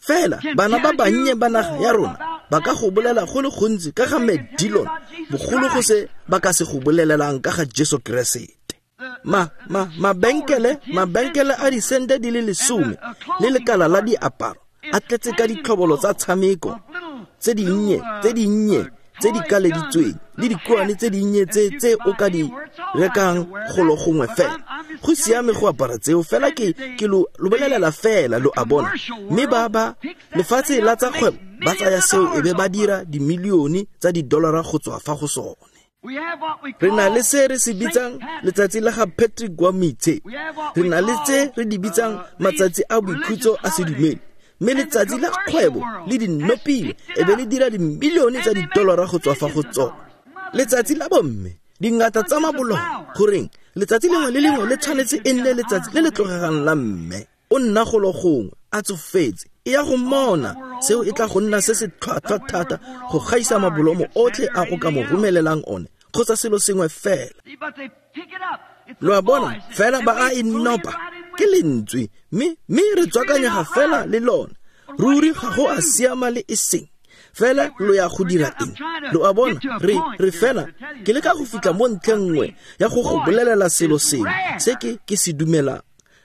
Fela bana ba bannye ba naga ya rona ba ka go bolela go le gontsi ka ga Matt Dillon, bogolo go se ba ka se go bolelelang ka ga Jesu Keresete. Mabenkele a disente di le 10 le lekala la diaparo a tletse ka ditlhobolo tsa tshameko tse dinnye tse di kaleditsweng le dikuane tse dinnye tse o ka di rekang golo gongwe fela. Go siame go apara tseo fela, ke lo bolelela fela, lo a bona. Mme ba lefatshe la tsa kgwebo ba tsaya seo e be ba dira dimilione tsa didolara go tswa fa go sone. Re na le se re se bitsang letsatsi la ga Patrick wa Mitse. Re na le tse re di bitsang matsatsi a boikhutso a sedumedi. Mme letsatsi la kgwebo le dinopile e be le dira dimilione tsa didolara go tswa fa go tsone. Letsatsi la bomme, dingata tsa mabolong, goreng letsatsi lengwe le lengwe le tshwanetse e nne letsatsi le le tlogegang la mme. O nna golo gongwe a tsofetse, e ya go mmona, seo e tla go nna se se tlhwatlhwa thata go gaisa mabolomo otlhe a go ka mo romelelang one, kgotsa selo sengwe fela. Lo a bona, fela ba a e nopa ke lentswe, mme re tswakanyega fela le lona. Ruri ga go a siama le e seng. Fela lo ya go dira eng? Lo a bona, re fela ke leka go fitlha mo ntlheng nngwe ya go go bolelela selo sengwe se ke se dumelang.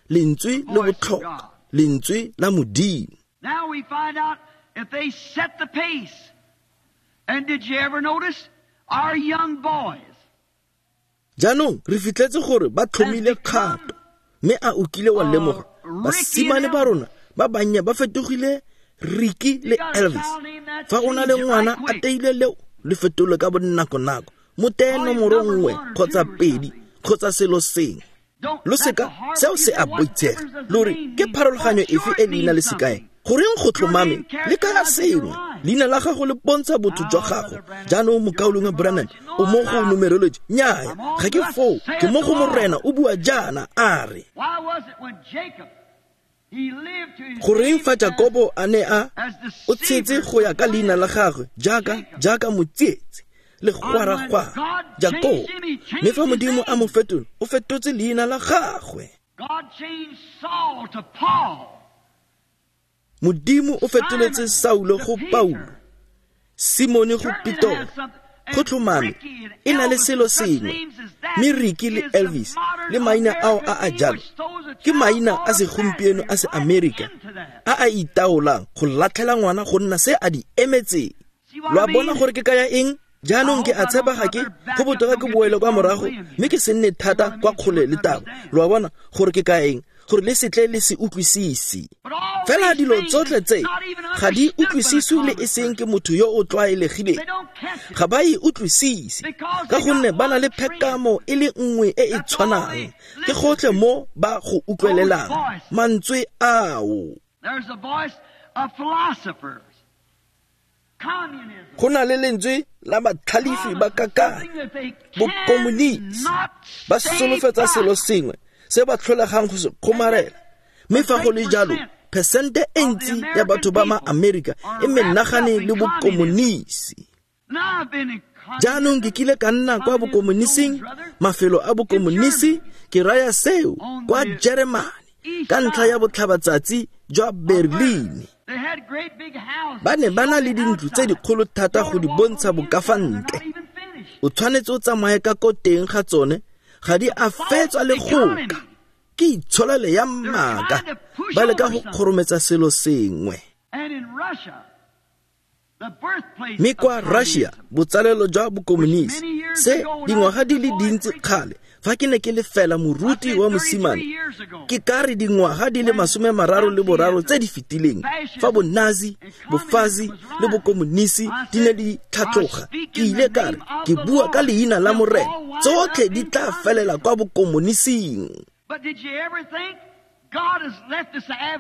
Lentswe le botlhokwa, lentswe la Modimo. Now we find out if they set the pace. And did you ever notice our young boys? Jaanong re fitlhetse gore ba tlhomile kgato, mme a o kile wa lemoga basimane ba rona ba bannye ba fetogile Ricky le Elvis. Fa o na le ngwana a teile leo, le fetole ka bonako-nako, mo teye nomoro 1 kgotsa 2 kgotsa selo sengwe. Lo seka, seo se a boitshega. Lo re ke pharologanyo efe e leina le sekae? Goreng go tlhomame le kaya sengwe? Leina la gago le bontsha botho jwa gago. Jaanong mokaulengwe Branham, o mo go numerology? Nnyaya, ga ke foo, ke mo go Morena o bua jaana a re. Goreng fa Jakobo a ne a o tshetse go ya ka leina la gagwe jaaka motsietsi le gwaragwara Jakobo, mme fa Modimo a mo fetola, o fetotse leina la gagwe. Modimo o fetoletse Saulo go Paulo, Simone go Petoro. Go tlhomame e na le selo sengwe. Mme Ricky le Elvis le maina ao a a jalo ke maina a segompieno a se-Amerika a a itaolang go latlhela ngwana go nna se a di emetseng. Lo a bona gore ke kaya eng? Jaanong ke a tshepa ga ke go botoka ke boele kwa morago mme ke se nne thata kwa kgole le taba. Lo a bona gore ke kaya eng? Gore le setle le se utlwisise. Fela dilo tsotlhe tse ga di utlwisiswe le e seng ke motho yo o tlwaelegileng. Ga ba e utlwisise ka gonne ba na le phekamo e le nngwe e e tshwanang. Ke gotlhe mo ba go utlwelelang mantswe ao. Go na le lentswe la batlhalefi ba kakana, bokomonisi, ba solofetsa selo sengwe se ba tlholegang go se kgomarela. Mme fa go le jalo, phesente e ntsi ya batho ba ma-Amerika e menagane le bokomonisi. Jaanong ke kile ka nna kwa bokomonising, mafelo a bokomonisi, ke raya seo kwa Jeremane ka ntlha ya botlhabatsatsi jwa Berlin. Ba ne ba na le dintlo tse dikgolo thata go di bontsha bokafantle. O tshwanetse o tsamaye ka ko teng ga tsone, ga di a fetswa le goka. Ke itsholelo ya maaka, ba leka go kgorometsa selo sengwe. Mme kwa Russia, botsalelo jwa bokomonisi, se dingwaga di le dintsi kgale, fa ke ne ke le fela moruti wa mosimane, ke ka re dingwaga di le 33 tse di fetileng, fa bonazi, bofazi le bokomonisi di ne di tlhatloga, ke ile ka re, ke bua ka leina la Morena, tsotlhe di tla felela kwa bokomonising.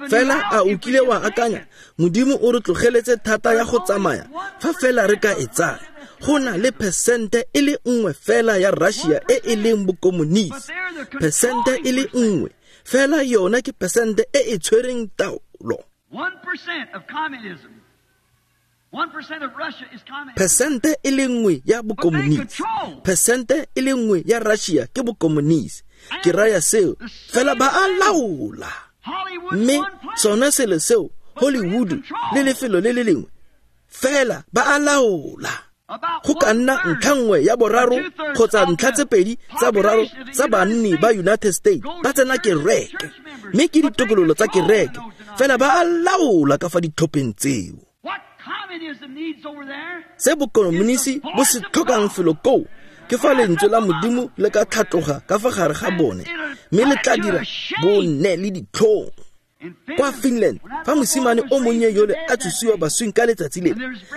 Fela a o kile wa akanya, Modimo o re tlogeletse thata ya go tsamaya, fa fela re ka e tsaya. Go na le 1% fela ya Russia e e leng bokomonisi. 1% fela yona ke 1% e e tshwereng taolo. 1% of communism. 1% of Russia is communism. 1% ya bokomonisi. 1% ya Russia ke bokomonisi. Ke raya seo, fela ba a laola. Mme sone selo seo, Hollywood le lefelo le le lengwe, fela ba a laola. Go ka nna ntlha nngwe ya boraro kgotsa ntlha tse pedi tsa boraro tsa banni ba United States ba tsena kereke, mme ke ditokololo tsa kereke, fela ba a laola ka fa ditlhopheng tseo. Se bokomonisi bo se tlhokang felo koo ke fa lentswe la Modimo le ka tlhatloga ka fa gare ga bone, mme le tla dira bonne le ditlhong. Kwa Finland, fa mosimane o monnye yole a tsosiwa baswing ka letsatsi lele,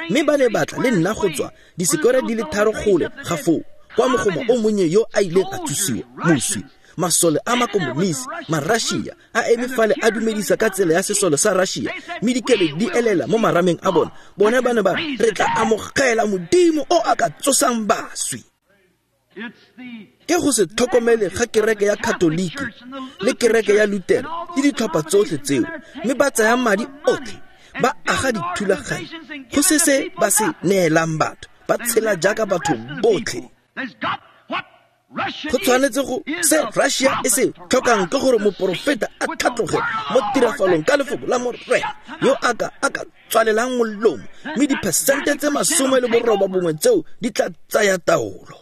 mme ba ne batla le nna go tswa disekore di le 3 gole ga foo, kwa mogoma o monnye yo a ileng a tsosiwa moswi, masole a makomonisi, ma-Russia, a eme fale a dumedisa ka tsela ya sesole sa Russia, mme dikele di elela mo marameng a bona. Bone ba ne ba re tla amogela Modimo o a ka tsosang baswi. Ke go se tlhokomele ga kereke ya Katoliki le kereke ya Lutere le ditlhopha tsotlhe tseo, mme ba tsaya madi otlhe, ba aga dithulaganyo, go se se ba se neelang batho, ba tshela jaaka batho botlhe. Go tshwanetse go se Russia e se tlhokang ke gore moporofeta a tlhatloge mo tirafalong ka lefoko la Morena, yo a ka tswalelang molomo, mme 98% tseo di tla tsaya taolo.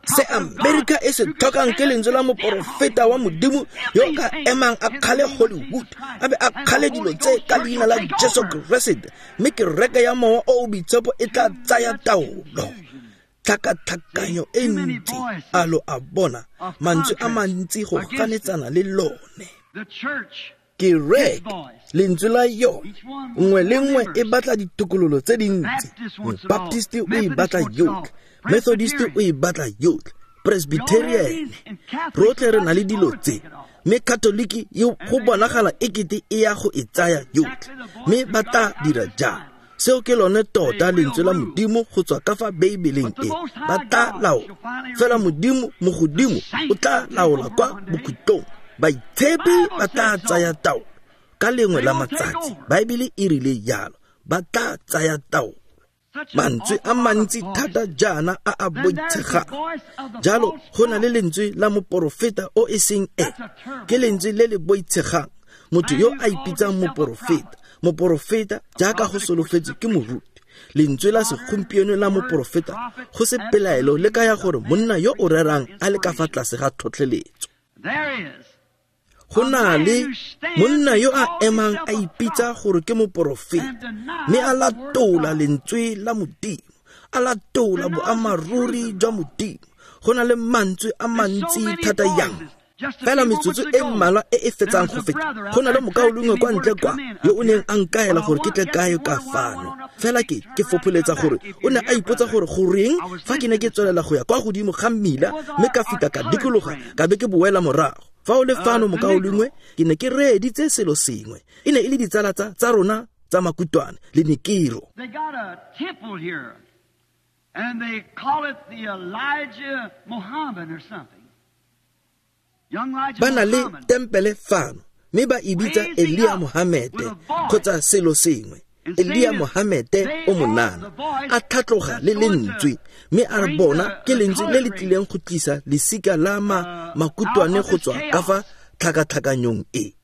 Se Amerika e se tlhokang ke lentswe la moporofeta wa Modimo yo ka emang a kgale Hollywood, a be a kgale dilo tse ka leina la Jesu Keresete, mme kereke ya Mowa o o Boitshepo e tla tsaya taolo. Tlhakatlhakanyo e ntsi, a lo a bona, mantswe a mantsi go ganetsana le lone. Kereke, lentswe la yone, nngwe le nngwe e batla ditokololo tse dintsi. Baptist o e batla yotlhe, Methodist o e batla yotlhe, Presbyterian, rotlhe re na le dilo tse, mme Katoliki yo go bonagala ekete e ya go e tsaya yotlhe, mme ba tla dira jalo. Seo ke lone tota lentswe la Modimo go tswa ka fa Beibeleng e, ba tla laola. Fela Modimo mogodimo o tla laola kwa bokhutlong. Baitshepi ba tla tsaya taolo ka lengwe la matsatsi. Baebele e rile jalo, ba tla tsaya taolo. Mantswe a mantsi thata jaana a a boitshegang. Jalo go na le lentswe la moporofeta o e seng e, ke lentswe le le boitshegang, motho yo a ipitsang moporofeta, moporofeta jaaka go solofetswe ke moruti. Lentswe la segompieno la moporofeta go se pelaelo le kaya gore monna yo o rerang a le ka fa tlase ga tlhotlheletso. Go na le monna yo a emang a ipitsa gore ke moporofeta, mme a latola lentswe la Modimo, a latola boammaaruri jwa Modimo. Go na le mantswe a mantsi thata yang. Fela metsotso e mmalwa e e fetsang go feta, go na le mokaulengwe kwa ntle kwa yo o neng a nkaela gore ke tle kae ka fano. Fela ke fopholetsa gore o ne a ipotsa gore goreng fa ke ne ke tswelela go ya kwa godimo ga mmila, mme ka fita ka dikologa ka be ke boela morago. Fa o le fano mokaulengwe, ke ne ke reeditse selo sengwe. E ne e le ditsala tsa rona tsa makutwane le Nikiro. They got a temple here, and they call it the Elijah Muhammad or something. Ba na le tempele fano, mme ba e bitsa Elia Mohamete kgotsa selo sengwe. Elia Mohamete o monana, a tlhatloga le lentswe, mme a re bona ke lentswe le le tlileng go tlisa lesika la makutwane go tswa ka fa tlhakatlhakanyong e.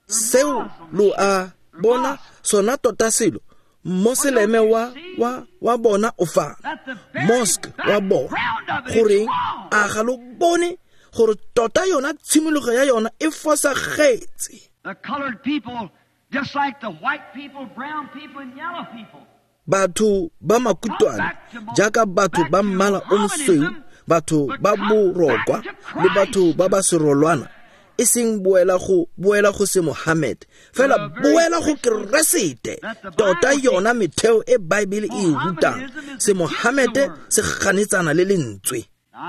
Seo lo a bona sona tota selo, Moseleme wa bona o fa, mosque wa bona, goreng a ga lo bone gore tota yona tshimologo ya yona e fosagetse. The colored people, just like the white people, brown people, and yellow people. Batho ba makutwane jaaka batho ba mmala o mosweu, batho ba borokwa le batho ba ba serolwana, e seng boela go se Mohammed, fela boela go Keresete. Tota yona metheo e Baebele e rutang, se Mohammed se ganetsana le lentswe.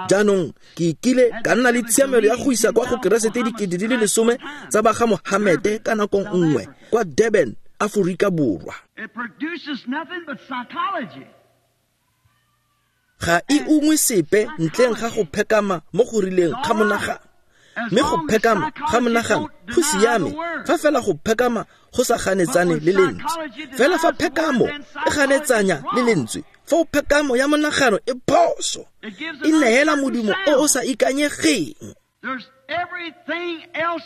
Jaanong ke ikile ka nna le tshiamelo ya go isa kwa go Keresete 10,000 tsa ba ga Mohammed ka nako nngwe kwa Durban, Aforika Borwa. It produces nothing but psychology. Ga e ungwe sepe ntleng ga go phekama mo go rileng ga monagano. Mme go phekama ga monagano go siame fa fela go phekama go sa ganetsane le lentswe. Fela fa phekamo e ganetsanya le lentswe, foo phekamo ya monagano e phoso, e neela modimo o o sa ikanyegeng. There's everything else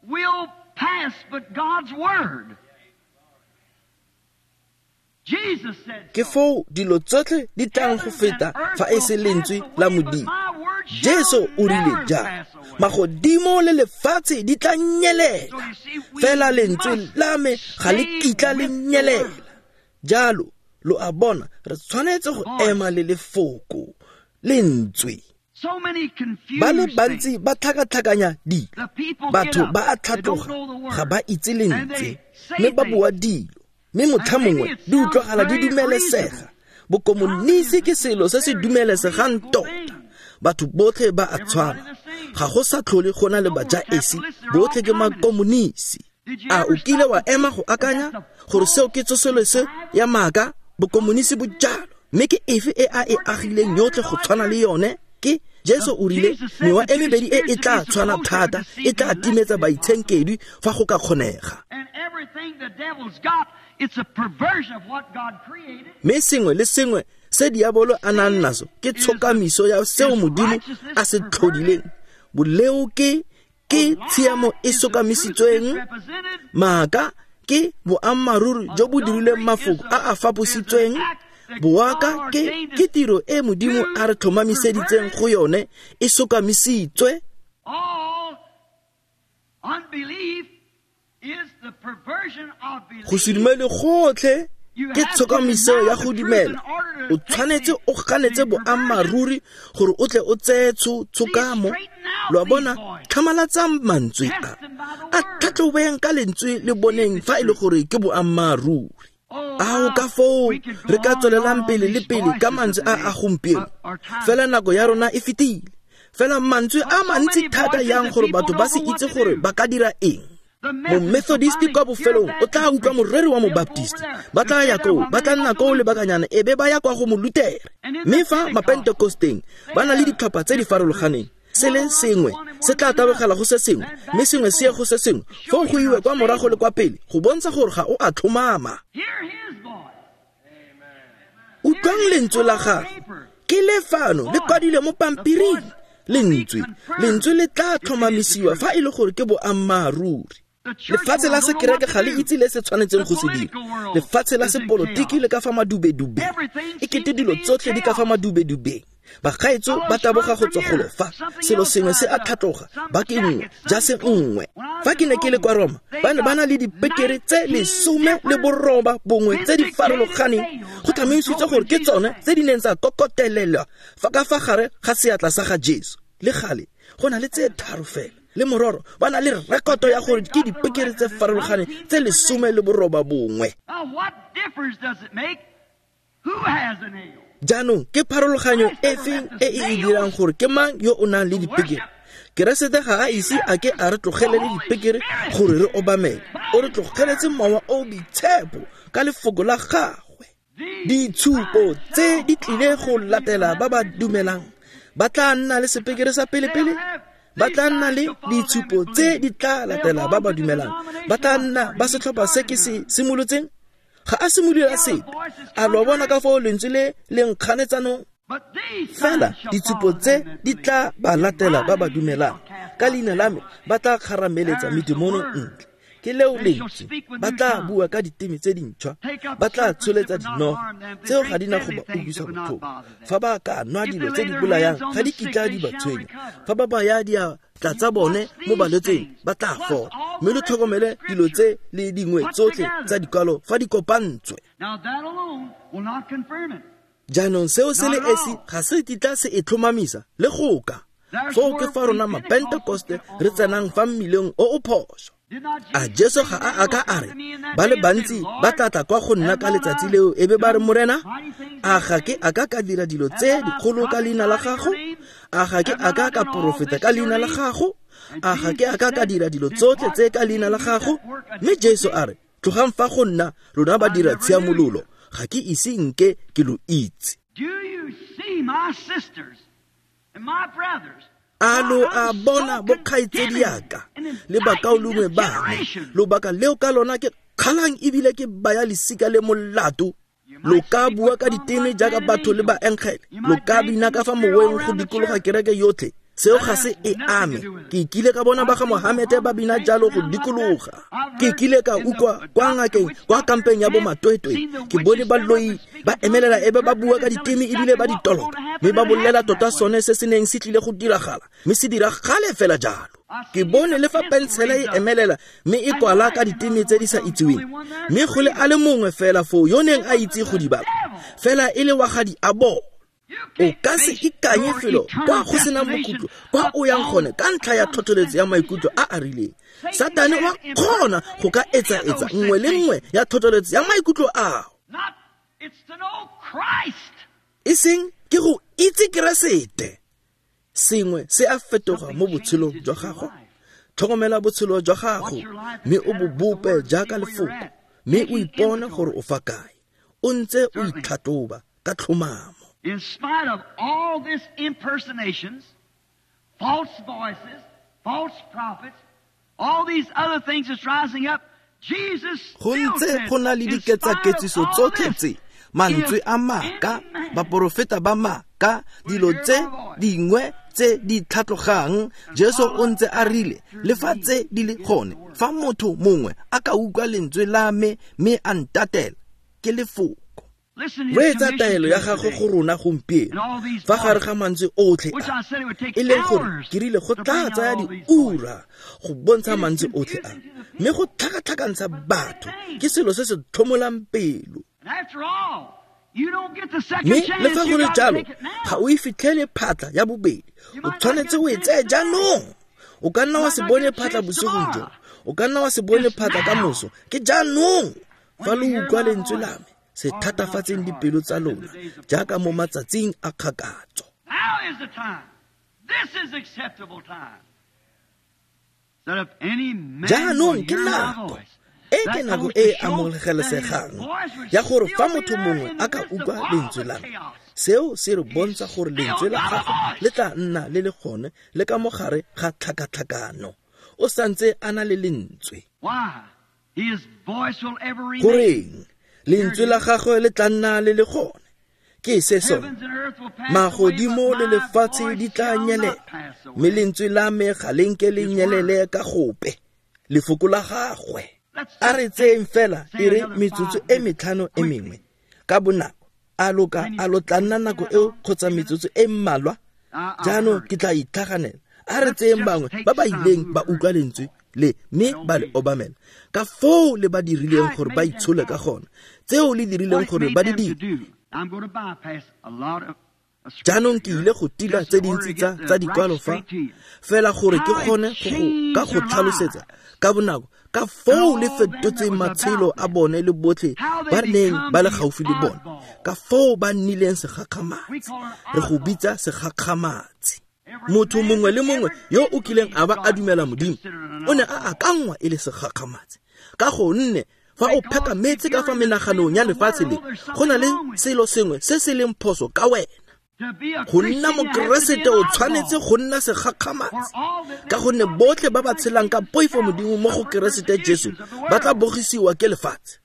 will pass but God's word. Ke foo dilo tsotlhe di tlang go feta fa e se lentswe la Modimo. Jesu o rile jang, magodimo le lefatshe di tla nyelela, fela lentswe la me ga le kitla le nyelela. Jalo lo a bona, re tshwanetse go ema le lefoko, lentswe. Ba le bantsi ba tlhakatlhakanya dilo, batho ba a tlhatloga, ga ba itse lentswe, mme ba bua dilo, mme motlha mongwe di utlwagala di dumelesega. Bokomonisi ke selo se se dumelesegang tota. Batho botlhe ba a tshwana, ga go sa tlhole go na le bajaesi, botlhe ke makomonisi. A o kile wa ema go akanya gore seo ke tsosoloso ya maaka? Bokomonisi bo jalo. Mme ke efe e a e agileng yotlhe go tshwana le yone? Ke Jesu o rile mewa e mebedi e e tla tshwana thata, e tla timetsa baitshenkedwi fa go ka kgonega. Mme sengwe le sengwe se diabolo a nang naso ke tshokamiso ya seo Modimo a se tlhodileng. Boleo ke tshiamo e sokamisitsweng, maaka ke boammaaruri jo bo dirilweng mafoko a a fapositsweng, boaka ke tiro e Modimo a re tlhomamiseditseng go yone e sokamisitswe. Go se dumele gotlhe ke tshokamiso ya go dumela. O tshwanetse o ganetse boammaaruri gore o tle o tseye tshokamo. Lo a bona, tlhamalatsang mantswe a tlhatlhobeng ka lentswe le boneng fa e le gore ke boammaaruri. Ao ka foo re ka tswelelang pele le pele ka mantswe a a gompieno, fela nako ya rona e fetile. Fela mantswe a mantsi thata yang gore batho ba se itse gore ba ka dira eng. Mo-Methodist kwa bofelong o tla utlwa moreri wa mo-Baptist, ba tla ya koo, ba tla nna koo lebakanyana e be ba ya kwa go mo-Lutere. Mme fa ma-Pentecosteng ba na le ditlhopha tse di farologaneng, se le sengwe se tla tabogela go se sengwe, mme sengwe se ye go se sengwe, foo go iwe kwa morago le kwa pele go bontsha gore ga o a tlhomama. Utlwang lentswe la gagwe, ke le fano le kwadilwe mo pampiring. Lentswe le tla tlhomamisiwa fa e le gore ke boammaaruri. Lefatshe la sekereke ga le itse le se tshwanetseng go se dira. Lefatshe la sepolotiki le ka fa madubedubeng, e kete dilo tsotlhe di ka fa madubedubeng. Bagaetso ba taboga go tswa golo fa, selo sengwe se a tlhatloga, ba ke nngwe, jase nngwe. Fa ke ne ke le kwa Roma, ba ne ba na le dipekere tse 19 tse di farologaneng, go tlhomamisitswe gore ke tsone tse di neng tsa kokotelelwa fa ka fa gare ga seatla sa ga Jesu. Le gale go na le tse 3 fela, le mororo ba na le rekoto ya gore ke dipekere tse farologaneng tse 19. Jaanong ke pharologanyo efe e e dirang gore ke mang yo o nang le dipekere? Keresete ga a ise a ke a re tlogele le dipekere gore re obamele. O re tlogeletse mowa o boitshepo ka lefoko la gagwe. Ditshupo tse di tlile go latela ba ba dumelang, ba tla nna le sepekere sa pele-pele, ba tla nna le ditshupo tse di tla latela ba ba dumelang, ba tla nna ba setlhopha se ke se simolotseng. Ga a simolola sepe. A lo bona ka foo lentswe le le nkganetsanong? Fela ditshupo tse di tla ba latela ba ba dumelang, ka leina la me ba tla kgarameletsa medimono ntle. Ke leo lentswe. Ba tla bua ka diteme tse dintšhwa, ba tla tsholetsa dinoga, tseo ga di na go ba utlwisa botlhoko. Fa ba ka nwa dilo tse di bolayang, ga di kitla di ba tshwenya. Fa ba baya diatla tsa bone mo balwetseng, ba tla fola. Mme lo tlhokomele dilo tse le dingwe tsotlhe tsa dikwalo fa di kopantswe. Jaanong seo se le esi ga se kitla se e tlhomamisa le goka. Foo ke fa rona Mapentekoste re tsenang fa mmileng o o phoso. A Jesu ga a aka a re ba le bantsi ba tla tla kwa go nna ka letsatsi leo e be ba re, Morena, a ga ke a ka ka dira dilo tse dikgolo ka leina la gago? A ga ke a ka ka porofeta ka leina la gago? A ga ke a ka ka dira dilo tsotlhe tse ka leina la gago? Mme Jesu a re, tlogang fa go nna, lona ba dira tshiamololo, ga ke ise nke ke lo itse. A lo a bona bokgaitsedi yaka le bakaulengwe ba me, lobaka leo ka lona ke kgalang ebile ke baya lesika le molato. Lo ka bua ka diteme jaaka batho le baengele, lo ka bina ka fa moweng go dikologa kereke yotlhe, seo ga se e ame. Ke kile ka bona ba ga Mohamete ba bina jalo go dikologa. Ke kile ka utlwa kwa ngakeng kwa kampeng ya bomatwetwe, ke bone baloi ba emelela ebe ba bua ka diteme ebile ba ditoloka, mme ba bolela tota sone se se neng se tlile go diragala, mme se diragale fela jalo. Ke bone le fa pensele e emelela mme e kwala ka diteme tse di sa itseweng, mme go le a le mongwe fela foo yo neng a itse go di bala, fela e le wa ga diabolo. O ka se ikanye felo kwa go senang bokhutlo kwa o yang gone ka ntlha ya tlhotlheletso ya maikutlo a a rileng. Satane wa kgona go ka etsa-etsa nngwe le nngwe ya tlhotlheletso ya maikutlo ao. E seng ke go itse Keresete. Sengwe se a fetoga mo botshelong jwa gago. Tlhokomela botshelo jwa gago mme o bo bope jaaka lefoko, mme o ipone gore o fa kae. O ntse o itlhatlhoba ka tlhomamo. In spite of all these impersonations, false voices, false prophets, all these other things that's rising up, Jesus go ntse go na le diketsaketsiso tsotlhe tse, mantswe a maaka, baporofeta ba maaka, dilo tse dingwe tse di tlhatlogang. Jesu o ntse a rile, le fa tse di le gone, fa motho mongwe a ka utlwa lentswe la me mme a ntatela, ke lefoko. Reetsa taelo ya gagwe go rona gompieno fa gare ga mantswe otlhe a, e leng gore ke rile go tla tsaya diura go bontsha mantswe otlhe a, mme go tlhakatlhakantsha batho ke selo se se tlhomolang pelo. Mme le fa go le jalo, ga o e fitlhele phatla ya bobedi, o tshwanetse o e tseye jaanong. O ka nna wa se bone phatla bosigong jo, o ka nna wa se bone phatla ka moso, ke jaanong. Fa lo utlwa lentswe la me, se thatafatseng dipelo tsa lona jaaka mo matsatsing a kgakatso. Jaanong ke nako e ke nako e e amogelesegang ya gore fa motho mongwe a ka utlwa lentswe la me, seo se re bontsha gore lentswe la gagwe le tla nna le le gone le ka mogare ga tlhakatlhakano. O santse a na le lentswe. Goreng lentswe la gagwe le tla nna le le gone? Ke se sone, magodimo le lefatshe di tla nyelela, mme lentswe la me ga le nke le nyelele ka gope. Lefoko la gagwe. A re tseeng fela e re metsotso e metlhano e mengwe ka bonako. A lo ka a lo tla nna nako eo kgotsa metsotso e mmalwa? Jaanong ke tla itlhaganela. A re tseeng bangwe ba ba ileng ba utlwa lentswe le mme ba le obamela, ka foo le ba dirileng gore ba itshole ka gona, tseo le dirileng gore ba di dire. Jaanong ke ile go tila tse dintsi tsa dikwalo fa, fela gore ke kgone go ka go tlhalosetsa ka bonako ka foo le fetotseng matshelo a bone le botlhe ba neng ba le gaufi le bone, ka foo ba nnileng segakgamatsi. Re go bitsa segakgamatsi. Motho mongwe le mongwe yo o kileng a ba a dumela Modimo o ne a akangwa e le segakgamatsi, ka gonne fa o pheka metsi ka fa menaganong ya lefatshe le, go na le selo sengwe se se leng phoso ka wena. Go nna Mokeresete o tshwanetse go nna segakgamatsi, ka gonne botlhe ba ba tshelang ka poifo Modimo mo go Keresete Jesu ba tla bogisiwa ke lefatshe.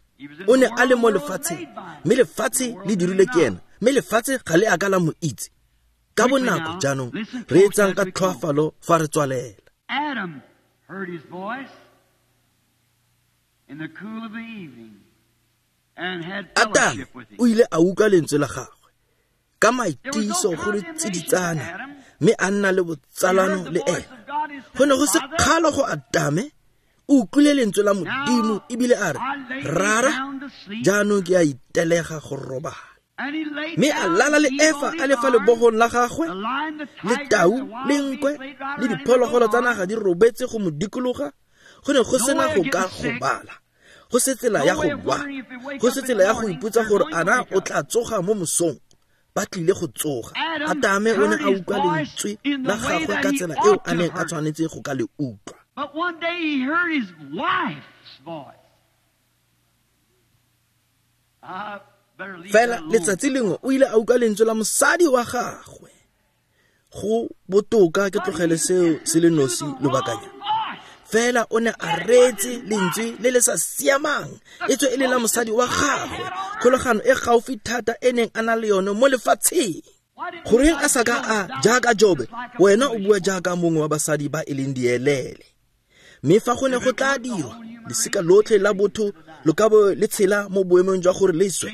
O ne a le mo lefatsheng, mme lefatshe le dirile ke ena, mme lefatshe ga le a ka la mo itse. Ka bonako jaanong re etsang ka tlhoafalo fa re tswalela. Adam heard his voice. Atame o ile a utlwa lentswe la gagwe ka maitiso go le tsiditsana, mme a nna le botsalano le ene. Go ne go se kgalo go Atame, o utlwile lentswe la Modimo ebile a re, Rara, jaanong ke a itelega go robala. Mme a lala le Efa a le fa lebogong la gagwe, le tau, le nkwe, le diphologolo tsa naga di robetse go mo dikologa. Go ne go sena go ka gobala, go se tsela ya go lwa, go se tsela ya go ipotsa gore ana o tla tsoga mo mosong. Ba tlile go tsoga. Atame o ne a utlwa lentswe la gagwe ka tsela eo a neng a tshwanetse go ka le utlwa. But one day he heard his wife's voice. Fela letsatsi lengwe o ile a utlwa lentswe la mosadi wa gagwe. Go botoka ke tlogele seo se le nosi lobakanyana. Fela o ne a reetse lentswe le le sa siamang, e tswe e le la mosadi wa gagwe, kgolagano e gaufi thata e neng a na le yone mo lefatsheng. Goreng a sa ka a jaaka Jobe, wena o bua jaaka mongwe wa basadi ba e leng dielele. Mme fa go ne go tla dirwa, lesika lotlhe la botho lo ka bo le tshela mo boemong jwa gore le swe.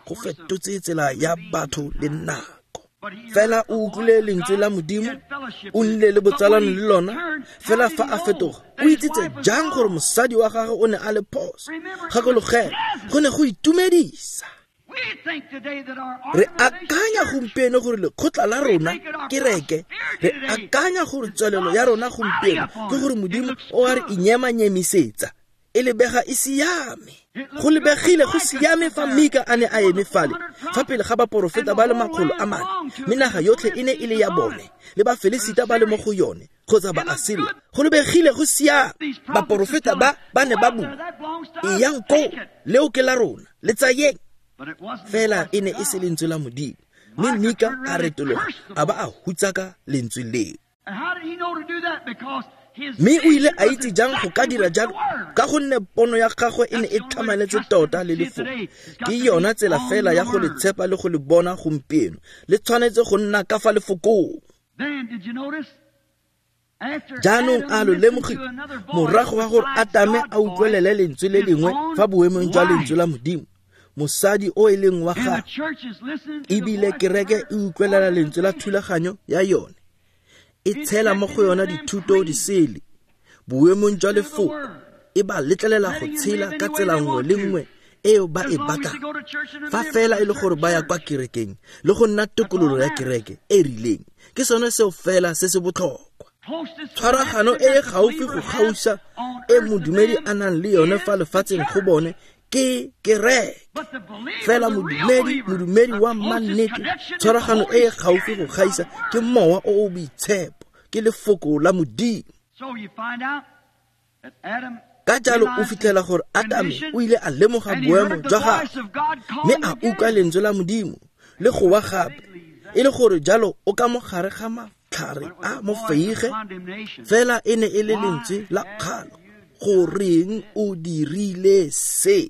Go fetotse tsela ya batho le nako. Fela o utlwile lentswe la Modimo, o nnile le botsalano le lona. Fela fa a fetoga, o itsitse jang gore mosadi wa gagwe o ne a le phoso? Gakologela, go ne go itumedisa. Re akanya gompieno gore lekgotla la rona kereke, re akanya gore tswelelo ya rona gompieno ke gore Modimo o a re inyemanyemisetsa. E lebega e siame. Go lebegile go siame fa Mika a ne a eme fale fa pele ga baporofeta ba le 400, mme naga yotlhe e ne e le ya bone, le Bafelesita ba le mo go yone kgotsa Baasiria. Go lebegile go siame. Baporofeta ba ba ne ba bua, eyang koo, leo ke la rona, le tsayeng. Fela e ne e se lentswe la Modimo. Mme Mika a retologa a ba a hutsaka lentswe leo. Mme o ile a itse jang go ka dira jalo? Ka gonne pono ya gagwe e ne e tlhamaletse tota le lefoko. Ke yona tsela fela ya go le tshepa le go le bona gompieno. Le tshwanetse go nna ka fa lefokong. Jaanong a lo lemogile, morago ga gore Atame a utlwelele lentswe le lengwe fa boemong jwa lentswe la Modimo, mosadi o e leng wa gagwe, ebile kereke e utlwelela lentswe la thulaganyo ya yone, e tshela mo go yona dithuto disele boemong jwa lefoko, e ba letlelela go tshela ka tsela nngwe le nngwe eo ba e batlang, fa fela e le gore ba ya kwa kerekeng le go nna tokololo ya kereke e rileng. Ke sone seo fela se se botlhokwa. Tshwaragano e e gaufi go gausa e modumedi a nang le yone fa lefatsheng go bone ke kereke. Fela modumedi wa mannete, tshwaragano e e gaufi go gaisa ke mowa o o boitshepo, ke lefoko la Modimo. Ka jalo o fitlhela gore Atame o ile a lemoga boemo jwa gagwe, mme a utlwa lentswe la Modimo le go wa gape, e le gore jalo o ka mo gare ga matlhare a mofeige. Fela e ne e le lentswe la kgalo. Goreng o dirile se?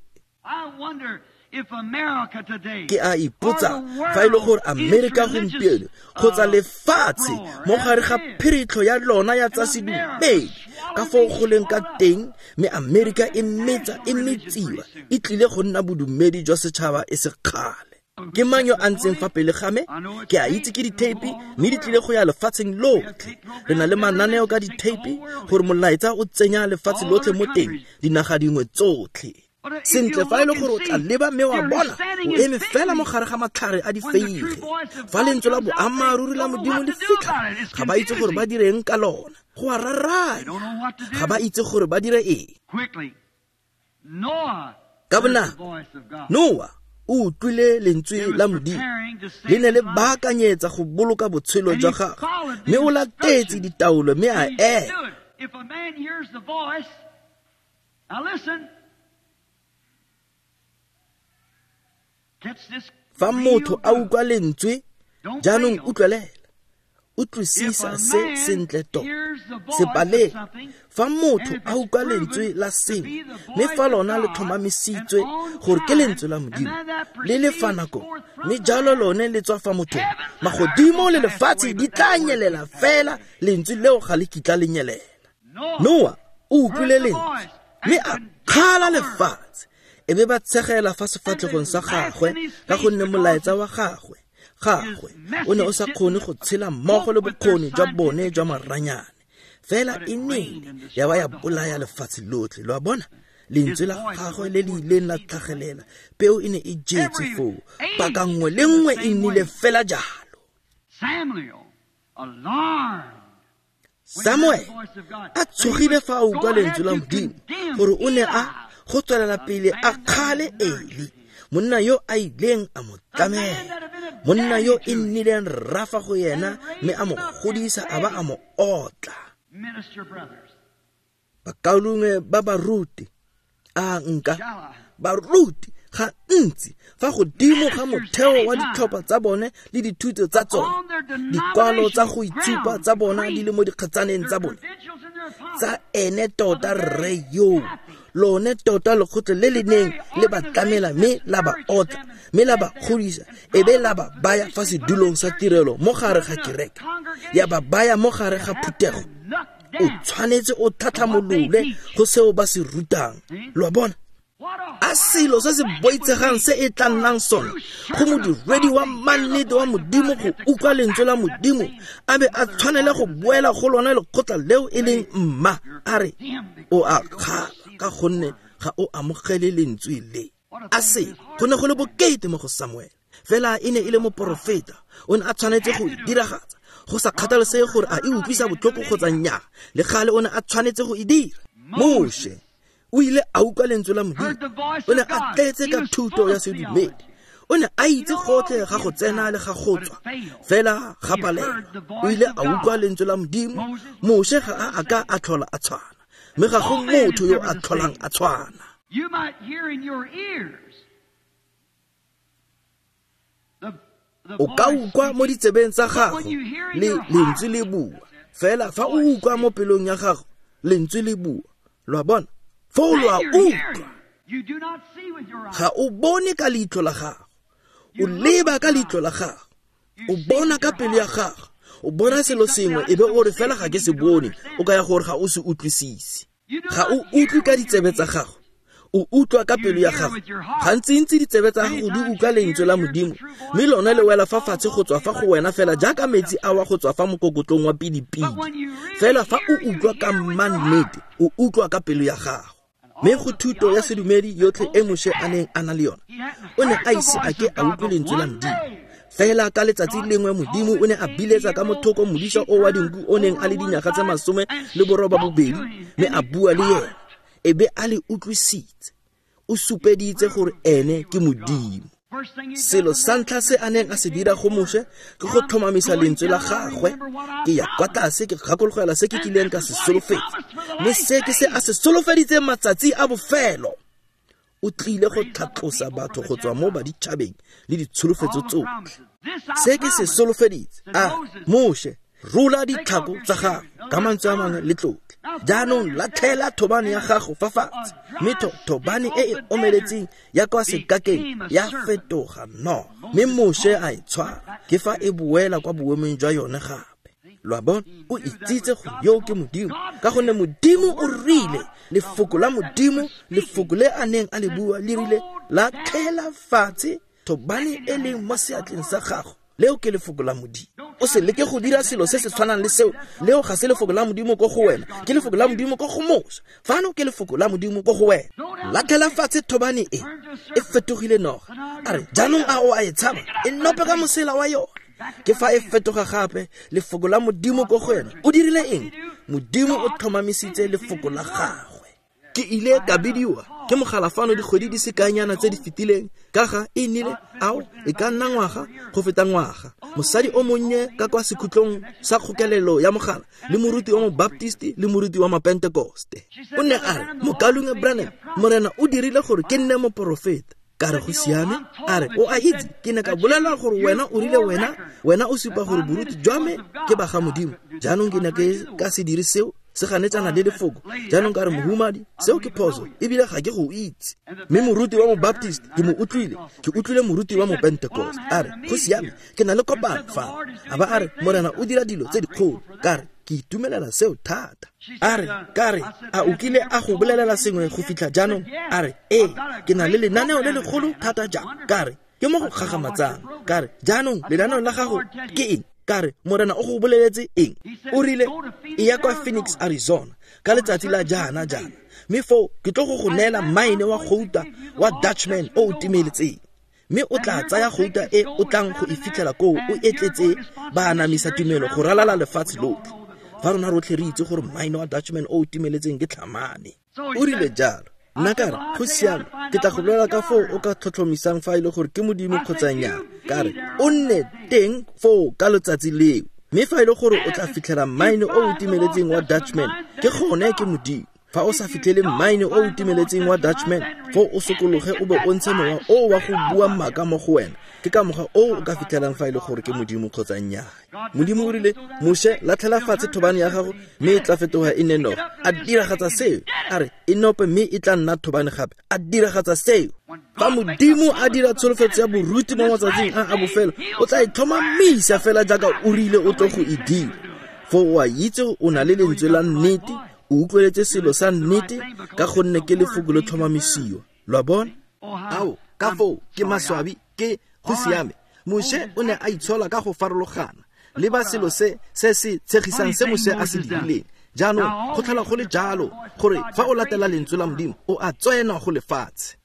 Ke a ipotsa fa e le gore Amerika gompieno kgotsa lefatshe mo gare ga phiritlo ya lona ya tsa sedumedi ka foo go leng ka teng, mme Amerika e metsa e metsiwa, e tlile go nna bodumedi jwa setšhaba e se kgale. Ke mang yo a ntseng fa pele ga me? Ke a itse ke ditheipi, mme di tlile go ya lefatsheng lotlhe. Re na le mananeo ka ditheipi gore molaetsa o tsenya lefatshe lotlhe mo teng, dinaga dingwe tsotlhe. Sentle, fa e le gore o tla leba mme wa bona, o eme fela mo gare ga matlhare a difeige. Fa lentswe la boammaaruri la Modimo le fitlha, ga ba itse gore ba direng ka lona. Go a raranya, ga ba itse gore ba dire eng. Ka bonako, Noa o utlwile lentswe la Modimo, le ne le baakanyetsa go boloka botshelo jwa gagwe, mme o latetse ditaolo mme a ema. Fa motho a utlwa lentswe, jaanong utlwelela, utlwisisa se sentle tota, se paleng. Fa motho a utlwa lentswe la sengwe, mme fa lona le tlhomamisitswe gore ke lentswe la Modimo, le le fa nakong, mme jalo lone le tswa fa mothong, magodimo le lefatshe di tla nyelela, fela lentswe leo ga le kitla le nyelela. Noa o utlwile lentswe, Mme a kgala lefatshe, e be ba tshegela fa sefatlhegong sa gagwe ka gonne molaetsa wa gagwe o ne o sa kgone go tshela mmogo le bokgoni jwa bone jwa maranyane. Fela e nele ya ba ya bolaya lefatshe lotlhe. Lo a bona? Lentswe la gagwe le le ileng la tlhagelela, peo e ne e jetse foo. Paka nngwe le nngwe e nnile fela jalo. Samuel a tshogile fa a utlwa lentswe la Modimo gore o ne a go tswelela pele a kgale Eli, monna yo a ileng a mo tlamela, monna yo e nnileng rrafa go yena mme a mo godisa a ba a mo otla. Bakaulengwe ba baruti a nka baruti ga ntsi fa godimo ga motheo wa ditlhopha tsa bone le dithuto tsa tsone, dikwalo tsa go itshupa tsa bona di le mo dikgatsaneng tsa bone, tsa ene tota rre yo, lone tota lekgotla le le neng le ba tlamela mme la ba otla mme la ba godisa, e be la ba baya fa sedulong sa tirelo mo gare ga kereke, ya ba baya mo gare ga phuthego. O tshwanetse o tlhatlhamolole go seo ba se rutang. Lo a bona? A selo se se boitshegang se e tla nnang sone go modiredi wa mannete wa Modimo go utlwa lentswe la Modimo, a be a tshwanele go boela go lona lekgotla leo e leng mma, a re o a kgala ka gonne ga o amogele lentswe le. A se go ne go le bokete mo go Samuel, fela e ne e le moporofeta, o ne a tshwanetse go diragatsa go sa kgathalesege gore a e utlwisa botlhoko kgotsa nnyaa, le gale o ne a tshwanetse go e dira. Moshe o ile a utlwa lentswe la Modimo, o ne a tletse ka thuto ya sedumedi, o ne a itse gotlhe ga go tsena le ga go tswa, fela ga palelwa. O ile a utlwa lentswe la Modimo. Moshe ga a ka a tlhola a tshwana, mme ga go motho yo a tlholang a tshwana. O ka utlwa mo ditsebeng tsa gago le lentswe le bua, fela fa o utlwa mo pelong ya gago lentswe le bua. Lo a bona? Foo lo a utlwa. Ga o bone ka leitlho la gago, o leba ka leitlho la gago, o bona ka pelo ya gago, o bona selo sengwe e be o re fela ga ke se bone, o ka ya gore ga o se utlwisise. Ga o utlwe ka ditsebe tsa gago, o utlwa ka pelo ya gago. Gantsintsi ditsebe tsa gago di utlwa lentswe la Modimo, mme lone le wela fa fatshe go tswa fa go wena fela jaaka metsi a wa go tswa fa mokokotlong wa pidipidi. Fela fa o utlwa ka mannete, o utlwa ka pelo ya gago. Mme go thuto ya sedumedi yotlhe e Moshe a neng a na le yona, o ne a ise a ke a utlwe lentswe la Modimo. Fela ka letsatsi lengwe Modimo o ne a biletsa ka mothoko modisa o wa dinku o neng a le dinyaga tse 18, mme a bua le yena, e be a le utlwisitse. O supeditse gore ene ke Modimo. Selo sa ntlha se a neng a se dira go Moshe ke go tlhomamisa lentswe la gagwe. Ke ya kwa tlase ke gakologela se ke kileng ka se solofetsa, mme se ke se a se solofeditseng matsatsi a bofelo. O tlile go tlhatlosa batho go tswa mo baditšhabeng le ditsholofetso tsotlhe. Se ke se solofeditse. A Moshe, rola ditlhako tsa gago ka mantswe a mangwe le tlotle. Jaanong latlhela thobane ya gago fa fatshe, mme thobane e e omeletseng ya kwa sekakeng ya fetoga noga, mme Moshe a e tshwara, ke fa e boela kwa boemong jwa yone gape. Lo a bona? O itsitse gore yo ke Modimo, ka gonne Modimo o rile, lefoko la Modimo, lefoko le a neng a le bua le rile, latlhela fatshe thobane e leng mo seatleng sa gago. Leo ke lefoko la Modimo. O se leke go dira selo se se tshwanang le seo. Leo ga se lefoko la Modimo ko go wena, ke lefoko la Modimo ko go Moshe. Fano ke lefoko la Modimo ko go wena. Latlhela fatshe thobane e, e fetogile noga. A re, jaanong a o a e tshaba? E nope ka mosela wa yone. Ke fa e fetoga gape, lefoko la Modimo ko go wena. O dirile eng? Modimo o tlhomamisitse lefoko la gagwe. Ke ile ka bidiwa ke mogala fano dikgwedi di sekanyana tse di fetileng ka ga e nnile ao e ka nna ngwaga go feta ngwaga. Mosadi o monnye ka kwa sekhutlong sa kgokelelo ya mogala le moruti wa Mobaptist le moruti wa Mapentekoste. O ne a re, Mokaulengwe Branham, Morena o dirile gore ke nne moporofeta. Ka re go siame. A re, o a itse, ke ne ka bolela gore wena o rile wena o supa gore boruti jwa me ke ba ga Modimo. Jaanong ke ne ke ka se dire seo, se ganetsana le lefoko. Jaanong ka re, mohumadi, seo ke phoso, ebile ga ke go itse. Mme moruti wa Mobaptist ke mo utlwile, ke utlwile moruti wa Mopentekoste. A re, go siame, ke na le kopano fa. A ba a re, Morena o dira dilo tse dikgolo. Ka re, Ke itumelela seo thata. A re, ka re, a o kile a go bolelela sengwe go fitlha jaanong? A re, ee, ke na le lenaneo le legolo thata jang. Ka re, ke mo go gagamatsang. Ka re, jaanong lenaneo la gago ke eng? Ka re, Morena o go boleletse eng? O rile, e ya kwa Phoenix, Arizona, ka letsatsi la jaana jaana. Mme foo ke tlo go neela mine wa gouta wa Dutchman o o timeletseng. Mme o tla tsaya gouta e o tlang go e fitlhela koo o etletse ba anamisa tumelo go ralala lefatshe lotlhe. Fa rona rotlhe re itse gore mine wa Dutchman o o timeletseng ke tlhamane. O rile jalo. Nna ka re, go siame, ke tla go bolela ka foo o ka tlhotlhomisang fa e le gore ke Modimo kgotsa nnyaa. Ka re, o nne teng foo ka letsatsi leo. Mme fa e le gore o tla fitlhela mine o o timeletseng wa Dutchman, ke gone ke Modimo. Fa o sa fitlhele mine o o timeletseng wa Dutchman, foo o sokologe o be o ntshe mowa o wa go bua maaka mo go wena. Ke ka mokgwa o o ka fitlhelang fa e le gore ke Modimo kgotsa nnyaa. Modimo o rile, Moshe, latlhela fatshe thobane ya gago mme e tla fetoga e nne noga. A diragatsa seo. A re, e nope mme e tla nna thobane gape. A diragatsa seo. Fa Modimo a dira tsholofetso ya boruti mo matsatsing a a bofelo, o tla e tlhomamisa fela jaaka o rile o tlo go e dira. Foo o a itse o na le lentswe la nnete, o utlweletse selo sa nnete ka gonne ke lefoko le tlhomamisiwa. Lo a bona? Ao, ka foo ke maswabi, ke go siame. Moshe o ne a itshola ka go farologana. Leba selo se se se tshegisang se Moshe a se dirileng. Jaanong go tlhola go le jalo gore fa o latela lentswe la Modimo o a tswena go lefatshe.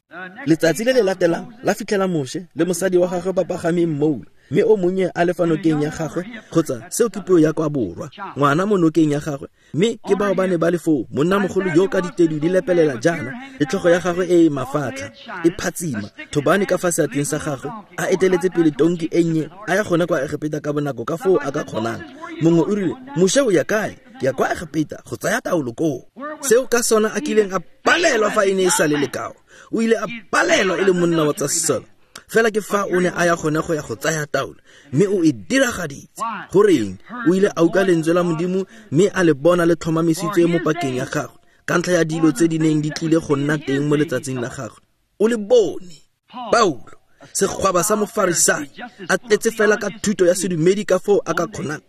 Letsatsi le le latelang la fitlhela Moshe le mosadi wa gagwe ba pagame mmoula, mme o monnye a le fa nokeng ya gagwe, kgotsa seo ke puo ya kwa borwa, ngwana mo nokeng ya gagwe. Mme ke bao ba ne ba le foo, monnamogolo yo ka ditedu di lepelela jaana, le tlhogo ya gagwe e e mafatlha e phatsima, thobane ka fa seatleng sa gagwe, a eteletse pele tonki e nnye, a ya gone kwa Egepeta ka bonako ka foo a ka kgonang. Mongwe o rile, Moshe o ya kae? Ke ya kwa Egepeta go tsaya taolo koo. Seo ka sona a kileng a palelwa fa e ne e sa le lekao. O ile a palelwa e le monna wa tsa sesole. Fela ke fa o ne a ya gone go ya go tsaya taolo, mme o e diragaditse. Goreng? O ile a utlwa lentswe la Modimo mme a le bona le tlhomamisitswe mo pakeng ya gagwe ka ntlha ya dilo tse di neng di tlile go nna teng mo letsatsing la gagwe. O le bone. Paulo, segwaba sa Mofarisai, a tletse fela ka thuto ya sedumedi ka foo a ka kgonang.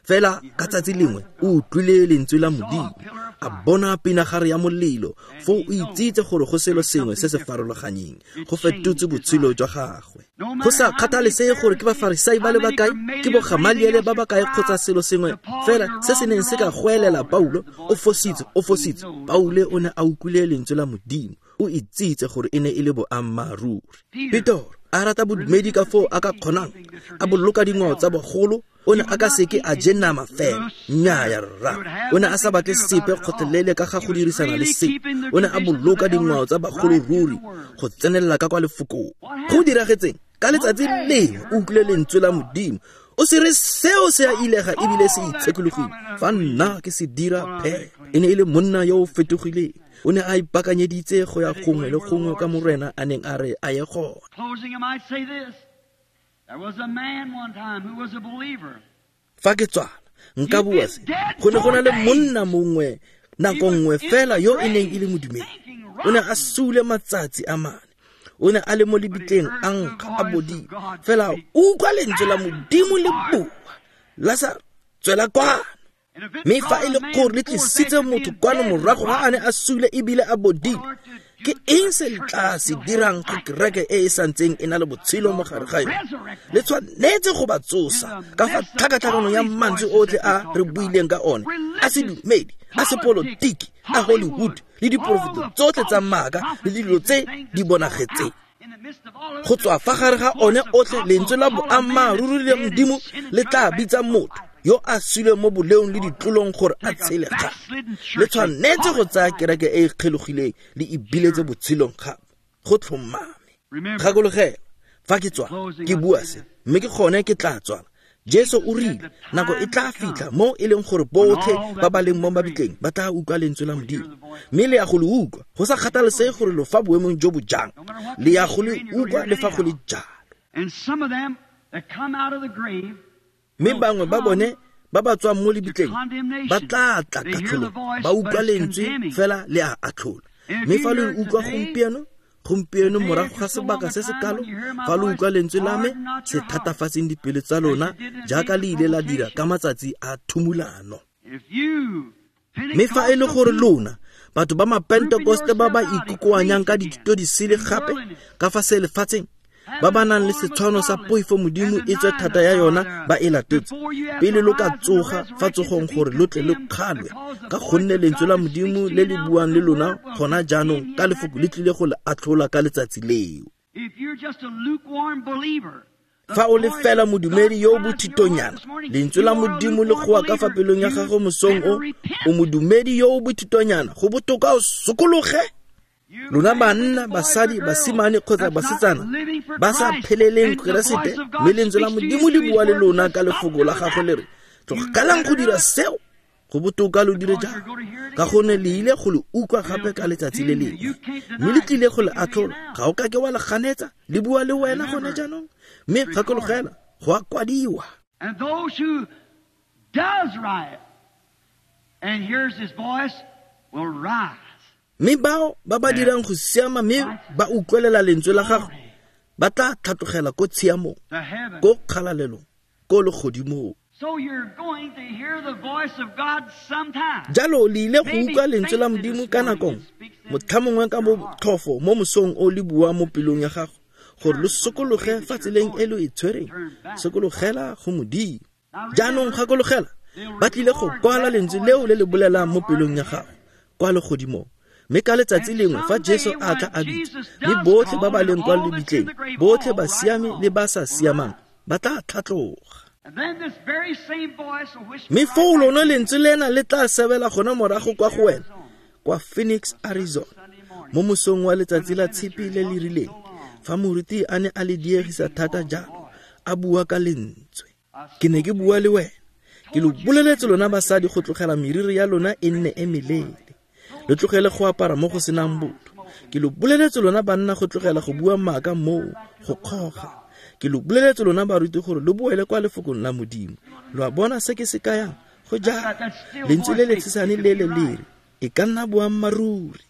Fela ka tsatsi lengwe o utlwile lentswe la Modimo, a bona pinagare ya molelo, foo o itsitse gore go selo sengwe se se farologanyeng, go fetotse botshelo jwa gagwe. Go sa kgathalesege gore ke Bafarisai ba le bakae, ke bo Gamaliele ba bakae kgotsa selo sengwe fela se se neng se ka goelela Paulo, o fositse, o fositse. Paulo o ne a utlwile lentswe la Modimo, o itsitse gore e ne e le boammaaruri. Petoro a rata bodumedi ka foo a ka kgonang, a boloka dingwao tsa bogolo, o ne a ka seke a je nama fela. Nnyaya rra, o ne a sa batle sepe kgotlelele ka ga go dirisana le sepe. O ne a boloka dingwao tsa bagolo ruri go tsenelela ka kwa lefokong. Go diragetseng? Ka letsatsi lengwe o utlwile lentswe la Modimo. O se re seo se a ilega ebile se itshekologile. Fa nna ke se dira phe. E ne e le monna yo o fetogileng. O ne a ipaakanyeditse go ya gongwe le gongwe ka Morena a neng a re a ye gone. Fa ke tswala, nka bua se. Go ne go na le monna mongwe nako nngwe fela yo e neng e le modumedi. O ne a sule matsatsi a mane. O ne a le mo lebitleng a nkga a bodile. Fela utlwa lentswe la Modimo le bua. Lasaro, tswela kwano. Mme fa e le gore le tlisitse motho kwano morago ga a ne a sule ebile a bodile, ke eng se le tla se dirang go kereke e e santseng e na le botshelo mo gare ga yone? Le tshwanetse go ba tsosa ka fa tlhakatlhakanong ya mantswe otlhe a re buileng ka one, a sedumedi, a sepolotiki, a Hollywood, le diporofeto tsotlhe tsa maaka le dilo tse di bonagetseng. Go tswa fa gare ga one otlhe, lentswe la boammaaruri le Modimo le tla bitsa motho yo a suleng mo boleong le ditlolong gore a tshele gape. Le tshwanetse go tsaya kereke e e kgelogileng le e biletse botshelong gape. Go tlhomame. Gakologelwa, fa ke tswa ke bua se, mme ke gone ke tla tswala. Jesu o rile nako e tla fitlha mo e leng gore botlhe ba ba leng mo mabitleng ba tla utlwa lentswe la Modimo. Mme le ya go le utlwa, go sa kgathalesege gore lo fa boemong jo bo jang, le ya go le utlwa le fa go le jalo. Mme bangwe ba bone ba ba tswang mo lebitleng ba tla tla katlholong, ba utlwa lentswe fela le a atlhola. Mme fa lo utlwa gompieno, gompieno morago ga sebaka se se kalo, fa lo utlwa lentswe la me, se thatafatseng dipelo tsa lona jaaka le ile la dira ka matsatsi a thumulano. Mme fa e le gore lona batho ba mapentekoste ba ba ikokoanyang ka dithuto di sele gape ka fa se lefatsheng, ba ba nang le setshwano sa poifo modimo e tswe thata ya yona ba e latotse, pele lo ka tsoga fa tsogong gore lo tle lo kgalwe, ka gonne lentswe la modimo le le buang le lona gona jaanong ka lefoko le tlile go le atlhola ka letsatsi leo. Fa o le fela modumedi yo o bothitonyana, lentswe la modimo le goa ka fa pelong ya gago mosong o, o modumedi yo o bothitonyana, go botoka o sokologe. Lona banna, basadi, basimane kgotsa basetsana ba sa pheleleng Keresete, mme lentswe la modimo le bua le lona ka lefoko la gagwe le re, tlogelang go dira seo, go botoka lo dire jang, ka gonne le ile go le utlwa gape ka letsatsi le lengwe, mme le tlile go le atlhola. Ga o ka ke wa le ganetsa, le bua le wena gone jaanong. Mme gakologela, go a kwadiwa. And those who does right and hears his voice will rise. Mme bao ba ba dirang go siama mme ba utlwelela lentswe la gagwe ba tla tlhatlogela ko tshiamong, ko kgalalelong, ko legodimong. So you're going to hear the voice of God sometime. Jalo le ile go utlwa lentswe la modimo ka nakong, motlhamongwe ka botlhofo mo mosong o le bua mo pelong ya gago, gore lo sokologe fa tseleng e lo e tshwereng, sokologela go modimo. Jaanong gakologela, ba tlile go kwala lentswe leo le le bolelang mo pelong ya gago kwa legodimong. Mme ka letsatsi lengwe fa Jesu a tla a bitsa, mme botlhe ba ba leng kwa lebitleng, botlhe ba siame le ba sa siamang, ba tla tlhatloga. Mme foo lone lentswe lena le tla sebela gona morago kwa go wena, kwa Phoenix, Arizona, mo mosong wa letsatsi la tshipi le le rileng, fa moruti a ne a le diegisa thata jalo, a bua ka lentswe. Ke ne ke bua le wena, ke lo boleletse lona basadi go tlogela meriri ya lona e nne e meleele, le tlogele go apara mo go senang botho. Ke lo boleletse lona banna go tlogela go bua maaka moo go kgoga. Ke lo boleletse lona baruti gore lo boele kwa lefokong la modimo. Lo a bona se ke se kayang? Go jalo, lentswe le le tshesane le le lere e ka nna boammaaruri.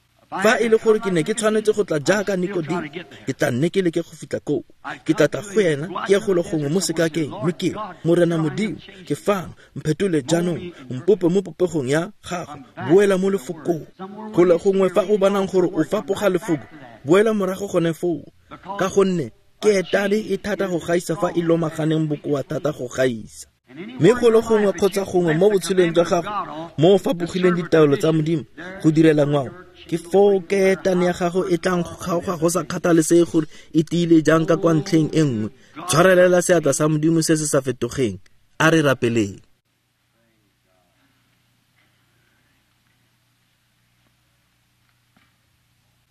Fa e le gore ke ne ke tshwanetse go tla jaaka Nikodimo, ke tla nne ke leke go fitlha koo. Ke tla tla go ena, ke ye golo gongwe mo sekakeng, mme ke re, Morena Modimo, ke fano, mphetole jaanong, mpope mo popegong ya gago, boela mo lefokong. Golo gongwe fa o bonang gore o fapoga lefoko, boela morago gone foo, ka gonne keetane e thata go gaisa fa e lomaganeng bokoa thata go gaisa. Mme golo gongwe kgotsa gongwe mo botshelong jwa gago mo o fapogileng ditaelo tsa modimo go direla ngwao, ke foo keetane ya gago e tlang go kgaoga go sa kgathalesege gore e tiile jang ka kwa ntlheng e nngwe. Tshwarelela seatla sa modimo se se sa fetogeng. A re rapeleng.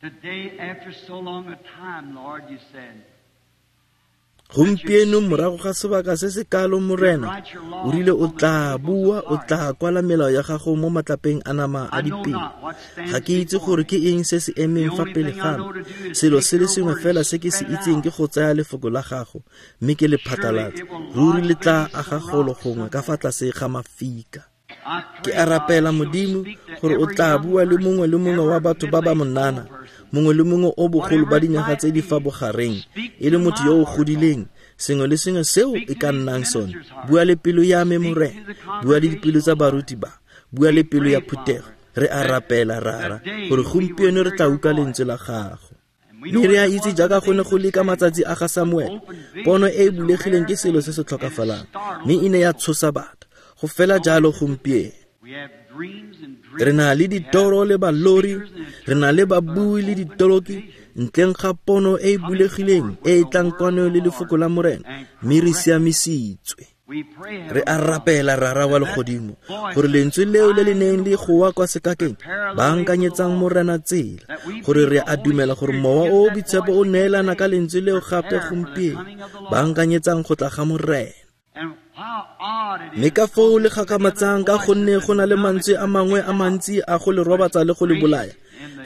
Today, after so long a time, Lord, you said, Gompieno morago ga sebaka se se kalo, Morena, o rile o tla bua, o tla kwala melao ya gago mo matlapeng a nama a dipelo. Ga ke itse gore ke eng se se emeng fa pele ga me. Selo se le sengwe fela se ke se itseng ke go tsaya lefoko la gago mme ke le phatlalatse. Ruri le tla aga golo gongwe ka fa tlase ga mafika. Ke a rapela Modimo gore o tla bua le mongwe le mongwe wa batho ba ba monana, mongwe le mongwe o bogolo ba dinyaga tse di fa bogareng, e le motho yo o godileng, sengwe le sengwe seo e ka nnang sone. Bua le pelo ya me, Morena, bua le dipelo tsa baruti ba, bua le pelo ya phuthego. Re a rapela, Rara, gore gompieno re tla utlwa lentswe la gago. Mme re a itse jaaka go ne go le ka matsatsi a ga Samuel, pono e e bulegileng ke selo se se tlhokafalang, mme e ne ya tshosa batho. Go fela jalo gompieno. Re na le ditoro le balori, re na le babui le ditoloki, ntleng ga pono e e bulegileng e e tlang kwano le lefoko la Morena, mme re siamisitswe. Re a rapela, Rara wa legodimo, gore lentswe leo le le neng le goa kwa sekakeng, baakanyetsang Morena tsela, gore re a dumela gore Mowa o o Boitshepo o neelana ka lentswe leo gape gompieno, baakanyetsang go tla ga Morena. Mme ka foo le gakgamatsang, ka gonne go na le mantswe a mangwe a mantsi a go le robatsa le go le bolaya,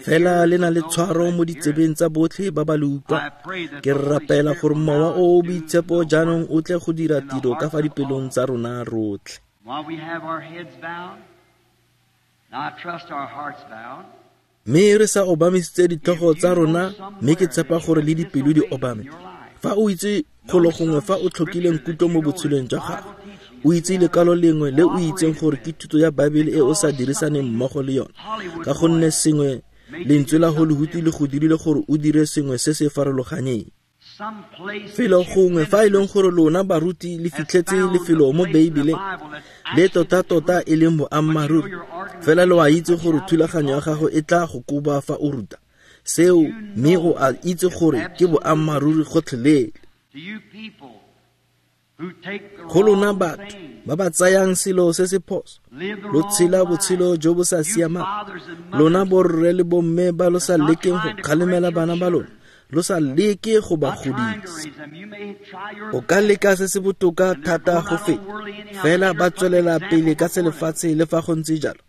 fela le na le tshwaro mo ditsebeng tsa botlhe ba ba le utlwa. Ke rapela gore Mowa o o Boitshepo jaanong o tle go dira tiro ka fa dipelong tsa rona rotlhe. Mme re sa obamisitse ditlhogo tsa rona, mme ke tshepa gore le dipelo di obame. Fa o itse golo gongwe fa o tlhokileng kutlo mo botshelong jwa gago, O itse lekwalo lengwe le o itseng gore ke thuto ya Baebele e o sa dirisaneng mmogo le yone, ka gonne sengwe lentswe la Hollywood le go dirile gore o dire sengwe se se farologaneng. Felo gongwe fa e leng gore lona baruti le fitlhetse lefelo mo Beibeleng le tota-tota e leng boammaaruri, fela lo a itse gore thulaganyo ya gago e tla go koba fa o ruta seo, mme o a itse gore ke boammaaruri gotlhelele. Go lona batho ba ba tsayang selo se se phoso, lo tshela botshelo jo bo sa siamang, lona borre le bomme ba lo sa lekeng go kgalemela bana ba lona, lo sa leke go ba godisa. O ka leka se se botoka thata go feta, fela ba tswelela pele ka selefatshe le fa go ntse jalo,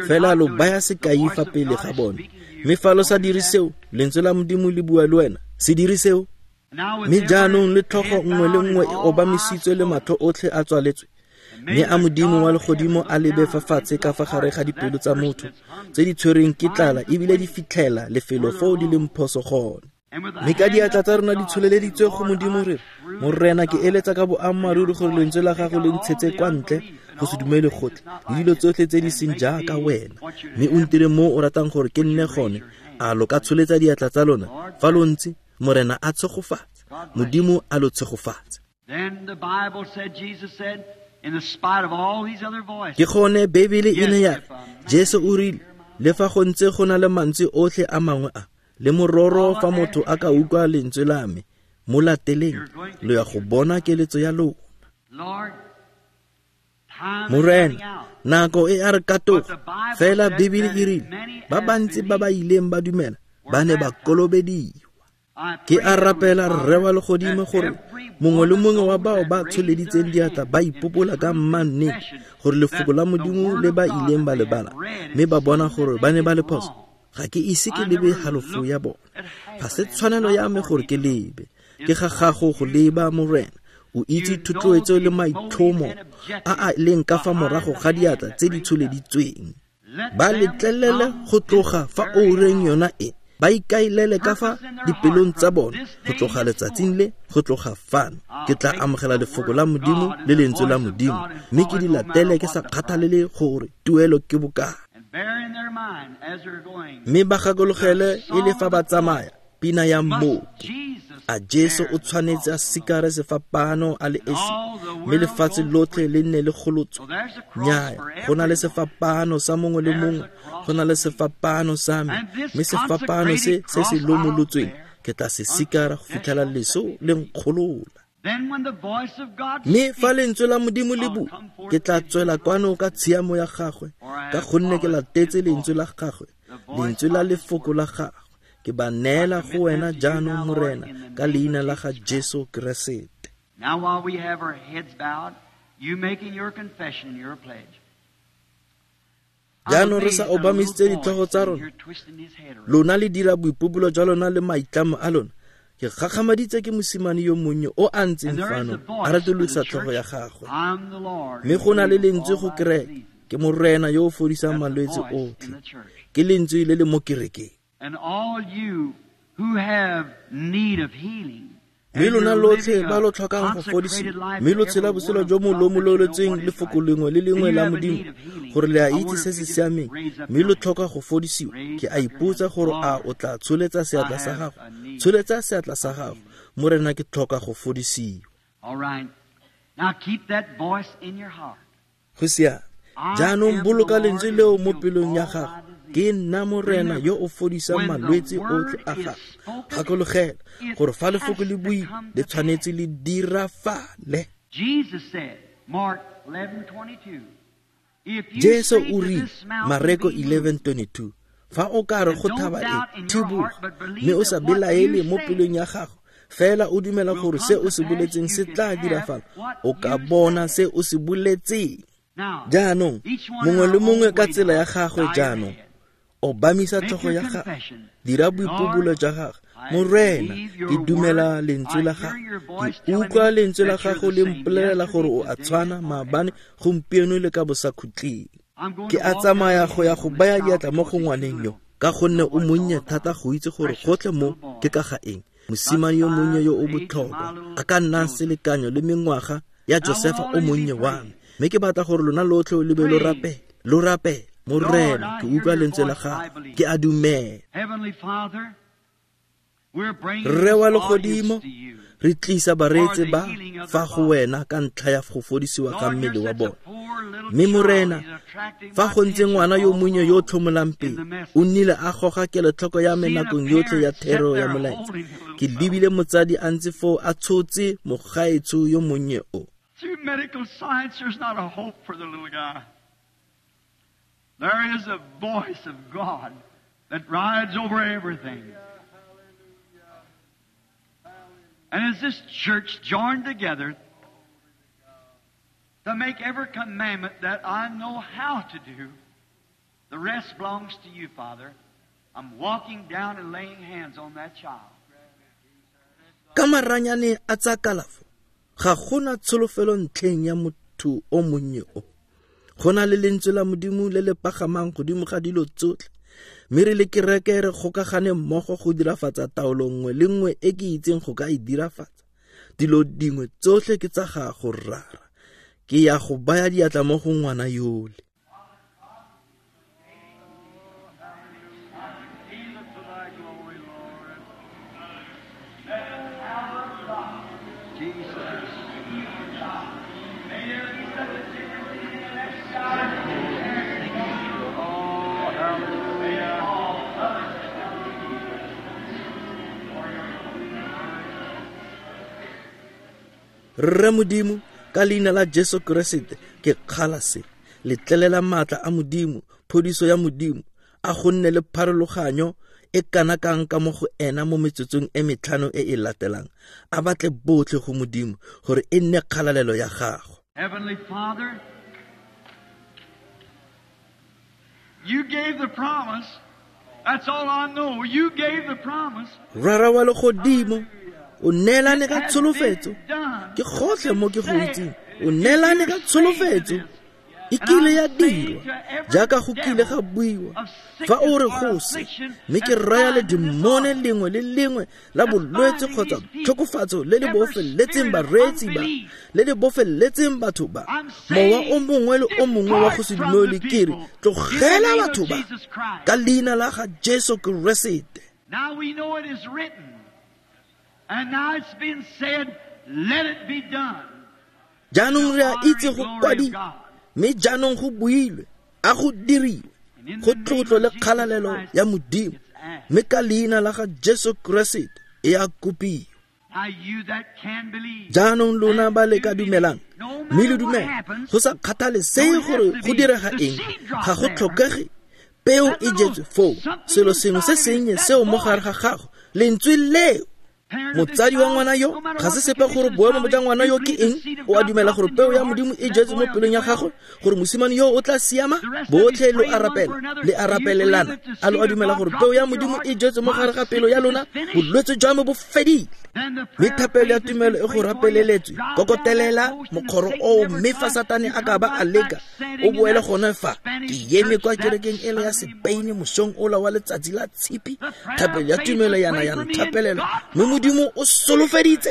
fela lo baya sekai fa pele ga bone. Mme fa lo sa dire seo, lentswe la Modimo le bua le wena, se dire seo. Mme jaanong le tlhogo nngwe le nngwe e obamisitswe le matlho otlhe a tswaletswe, mme a Modimo wa legodimo a lebe fa fatshe ka fa gare ga dipelo tsa motho tse di tshwereng ke tlala ebile di fitlhela lefelo foo di leng phoso gone. Mme ka diatla tsa rona di tsholeleditswe go Modimo re, Morena, ke eletsa ka boammaaruri gore lentswe la gago le ntshetse kwa ntle go se dumele gotlhe le dilo tsotlhe tse di seng jaaka wena, mme o ntire mo o ratang gore ke nne gone. A lo ka tsholetsa diatla tsa lona fa lo ntse? Morena a tshegofatse, Modimo a lo tshegofatse. Ke gone Beibele e ne ya re, Jesu o rile, le fa go ntse go na le mantswe otlhe a mangwe a, le mororo fa motho a ka utlwa lentswe la me, mo lateleng, lo ya go bona keletso ya lona. Morena, nako e a re katoga, fela Bibele e rile, ba bantsi ba ba ileng ba dumela ba ne ba kolobediwa. Ke a rapela Rre wa legodimo gore mongwe le mongwe wa bao ba tsholeditseng diatla ba ipopola ka mmannete gore lefoko la Modimo le ba ileng ba le bala, mme ba bona gore ba ne ba le phoso. Ga ke ise ke lebe halofo ya bone. Ga se tshwanelo ya me gore ke lebe. Ke ga gago go leba, Morena. O itse thotloetso le maitlhomo a a leng ka fa morago ga diatla tse di tsholeditsweng. Ba letlelele go tloga fa oureng yona e, ba ikaelele ka fa dipelong tsa bone go tloga letsatsing le, go tloga fano. Ke tla amogela lefoko la Modimo le lentswe la Modimo, mme ke di latele ke sa kgathalele gore tuelo ke bokae. Mme ba gakologele e le fa ba tsamaya pina ya mmoki, a Jesu o tshwanetse a sikare sefapano a le esi, mme lefatshe lotlhe le nne le golotswe. Nnyaya, go na le sefapano sa mongwe le mongwe, go na le sefapano sa me, mme sefapano se se se lomolotsweng ke tla se sikara go fitlhela leso le nkgolola. Mme fa lentswe la Modimo le bua, ke tla tswela kwano ka tshiamo ya gagwe, ka gonne ke latetse lentswe la gagwe, lentswe la lefoko la gagwe. Ke ba neela go wena jaanong, Morena, ka leina la ga Jesu Keresete. Now while we have our heads bowed, you making your confession, your pledge. Jaanong re sa obamisitse ditlhogo tsa rona, lona le dira boipobolo jwa lona le maitlamo a lona. Ke gakgamaditse ke mosimane yo monnye o a ntseng fano a retolosa tlhogo ya gagwe. Mme go na le lentswe go kereke, ke Morena yo o fodisang malwetse otlhe. Ke lentswe le le mo kerekeng. And all you who have need of healing, Mme lona lotlhe ba lo tlhokang go fodisiwa, mme lo tshela botshelo jo mo lomololetsweng lefoko lengwe le lengwe la Modimo, gore le a itse se se siameng, mme lo tlhoka go fodisiwa, ke a ipotsa gore a o tla tsholetsa seatla sa gago. Tsholetsa seatla sa gago, Morena, ke tlhoka go fodisiwa. All right. Now keep that voice in your heart. Go siame. Jaanong boloka lentswe leo mo pelong ya gago. Ke nna Morena yo o fodisang malwetse otlhe a gago. Gakologela gore fa lefoko le buile, le tshwanetse le dirafale. Jesus said, Mark 11:22, if you Jesu say o to rile, this mountain, Mareko be moved, 11:22, fa o ka re go and don't thaba e, doubt in your thiboga, heart, but believe mme o sa that what belaele you mo say pelong ya gago, fela o dumela will gore come se to o se pass, boletseng you se can tla have dirafala, what o ka you bona say. se o se boletseng. Now, Jaanong, each one mongwe in le our mongwe own ka way tsela ya now, gagwe bow your jaanong, head. obamisa Make tlhogo your ya gago, confession. dira boipobolo Lord, jwa gagwe. I Morena, believe your ke dumela word. lentswe I la hear gago. your voice Ke telling utlwa me lentswe la that you're gago the le same mpolelela gore o yesterday, a today, tshwana and maabane, forever. gompieno le ka bosakhutleng. I'm going Ke to a walk tsamaya down go ya the go hill baya and diatla mo shout go because ngwaneng it's yo, little. ka gonne Know o what it's monnye all thata about. go itse gore Precious gotlhe mo little boy. ke ka ga eng. Mosimane yo monnye yo o botlhokwa, a ka nnang selekanyo le mengwaga ya Josefa o monnye wa me. Mme ke batla gore lona lotlhe lo be lo rapele, lo rapele. Morena, ke utlwa lentswe la gago, ke a dumela. Rre wa legodimo, re tlisa bareetsi ba fa go wena ka ntlha ya go fodisiwa ga mmele wa bone. Mme Morena, fa go ntse ngwana yo monnye yo o tlhomolang pele, o nnile a goga kelotlhoko ya me nakong yotlhe ya thero ya molaetsa. Ke lebile motsadi a ntse foo a tshotse mogaetsho yo monnye o. Through medical science, there's not a hope for the little guy. There is a voice of God that rides over everything. And as this church joined together to make every commandment that I know how to do, the rest belongs to you, Father. I'm walking down and laying hands on that child. Ka maranyane a tsa kalafo, ga gona tsholofelo ntlheng ya motho o monnye o. Go na le lentswe la Modimo le le pagamang godimo ga dilo tsotlhe. Mme re le kereke re kgokagane mmogo go dirafatsa taolo nngwe le nngwe e ke itseng go ka e dirafatsa. Dilo dingwe tsotlhe ke tsa gago, Rara. Ke ya go baya diatla mo go ngwana yole. Rre Modimo, ka leina la Jesu Keresete, ke kgala se. Letlelela maatla a Modimo, phodiso ya Modimo, a go nne le pharologanyo e kana kang ka mo go ena mo metsotsong e metlhano e e latelang. A batle botlhe go Modimo gore e nne kgalalelo ya gago. Heavenly Father, you gave the promise. That's all I know. You gave the promise. Rara wa legodimo, o neelane ka tsholofetso. Ke gotlhe mo ke go itseng. O neelane ka tsholofetso. E kile ya dirwa jaaka go kile ga buiwa. Fa o re go se, mme ke raya le dimone lengwe le lengwe la bolwetse kgotsa tlhokofatso le le bofeletseng bareetsi ba, le le bofeletseng batho ba, mowa o mongwe le o mongwe wa go se dumele, ke re tlogela batho ba ka leina la ga Jesu Keresete. Now we know it is written, and now it's been said, let it be done. Jaanong re a itse go kwadilwe, mme jaanong go builwe, a go diriwe, go tlotlo le kgalalelo ya Modimo, mme ka leina la ga Jesu Keresete e a kopiwa. Jaanong lona ba le ka dumelang, mme le dumela, go sa kgathalesege gore go direga eng, ga go tlhokege peo e jetswe foo, selo sengwe se sennye seo mo gare ga gago, lentswe leo. Motsadi wa ngwana yo, ga se sepe gore boemo jwa ngwana yo ke eng, o a dumela gore peo ya Modimo e jetswe mo pelong ya gagwe, gore mosimane yo o tla siama. Botlhe lo a rapela, le a rapelelana. A lo a dumela gore peo ya Modimo e jetswe mo gare ga pelo ya lona? Bolwetse jwa me bo fedile. Mme thapelo ya tumelo e go rapeleletswe. Kokotelela mokgoro oo, mme fa Satane a ka ba a leka, o boele gone fa. Ke eme kwa kerekeng ele ya Sepeine mosong ola wa letsatsi la tshipi. Thapelo ya tumelo yana ya nthapelela, mme Modimo o solofeditse.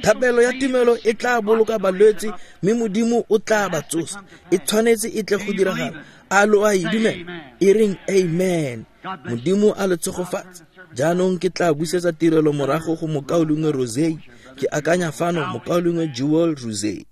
Thapelo ya tumelo e tla boloka balwetse, mme Modimo o tla ba tsosa. E tshwanetse e tle go diragala. A lo a e dumela? E reng amen. Modimo a le tshegofatse. Jaanong ke tla busetsa tirelo morago go mokaulengwe Rosey. Ke akanya fano mokaulengwe Jewel Rosey.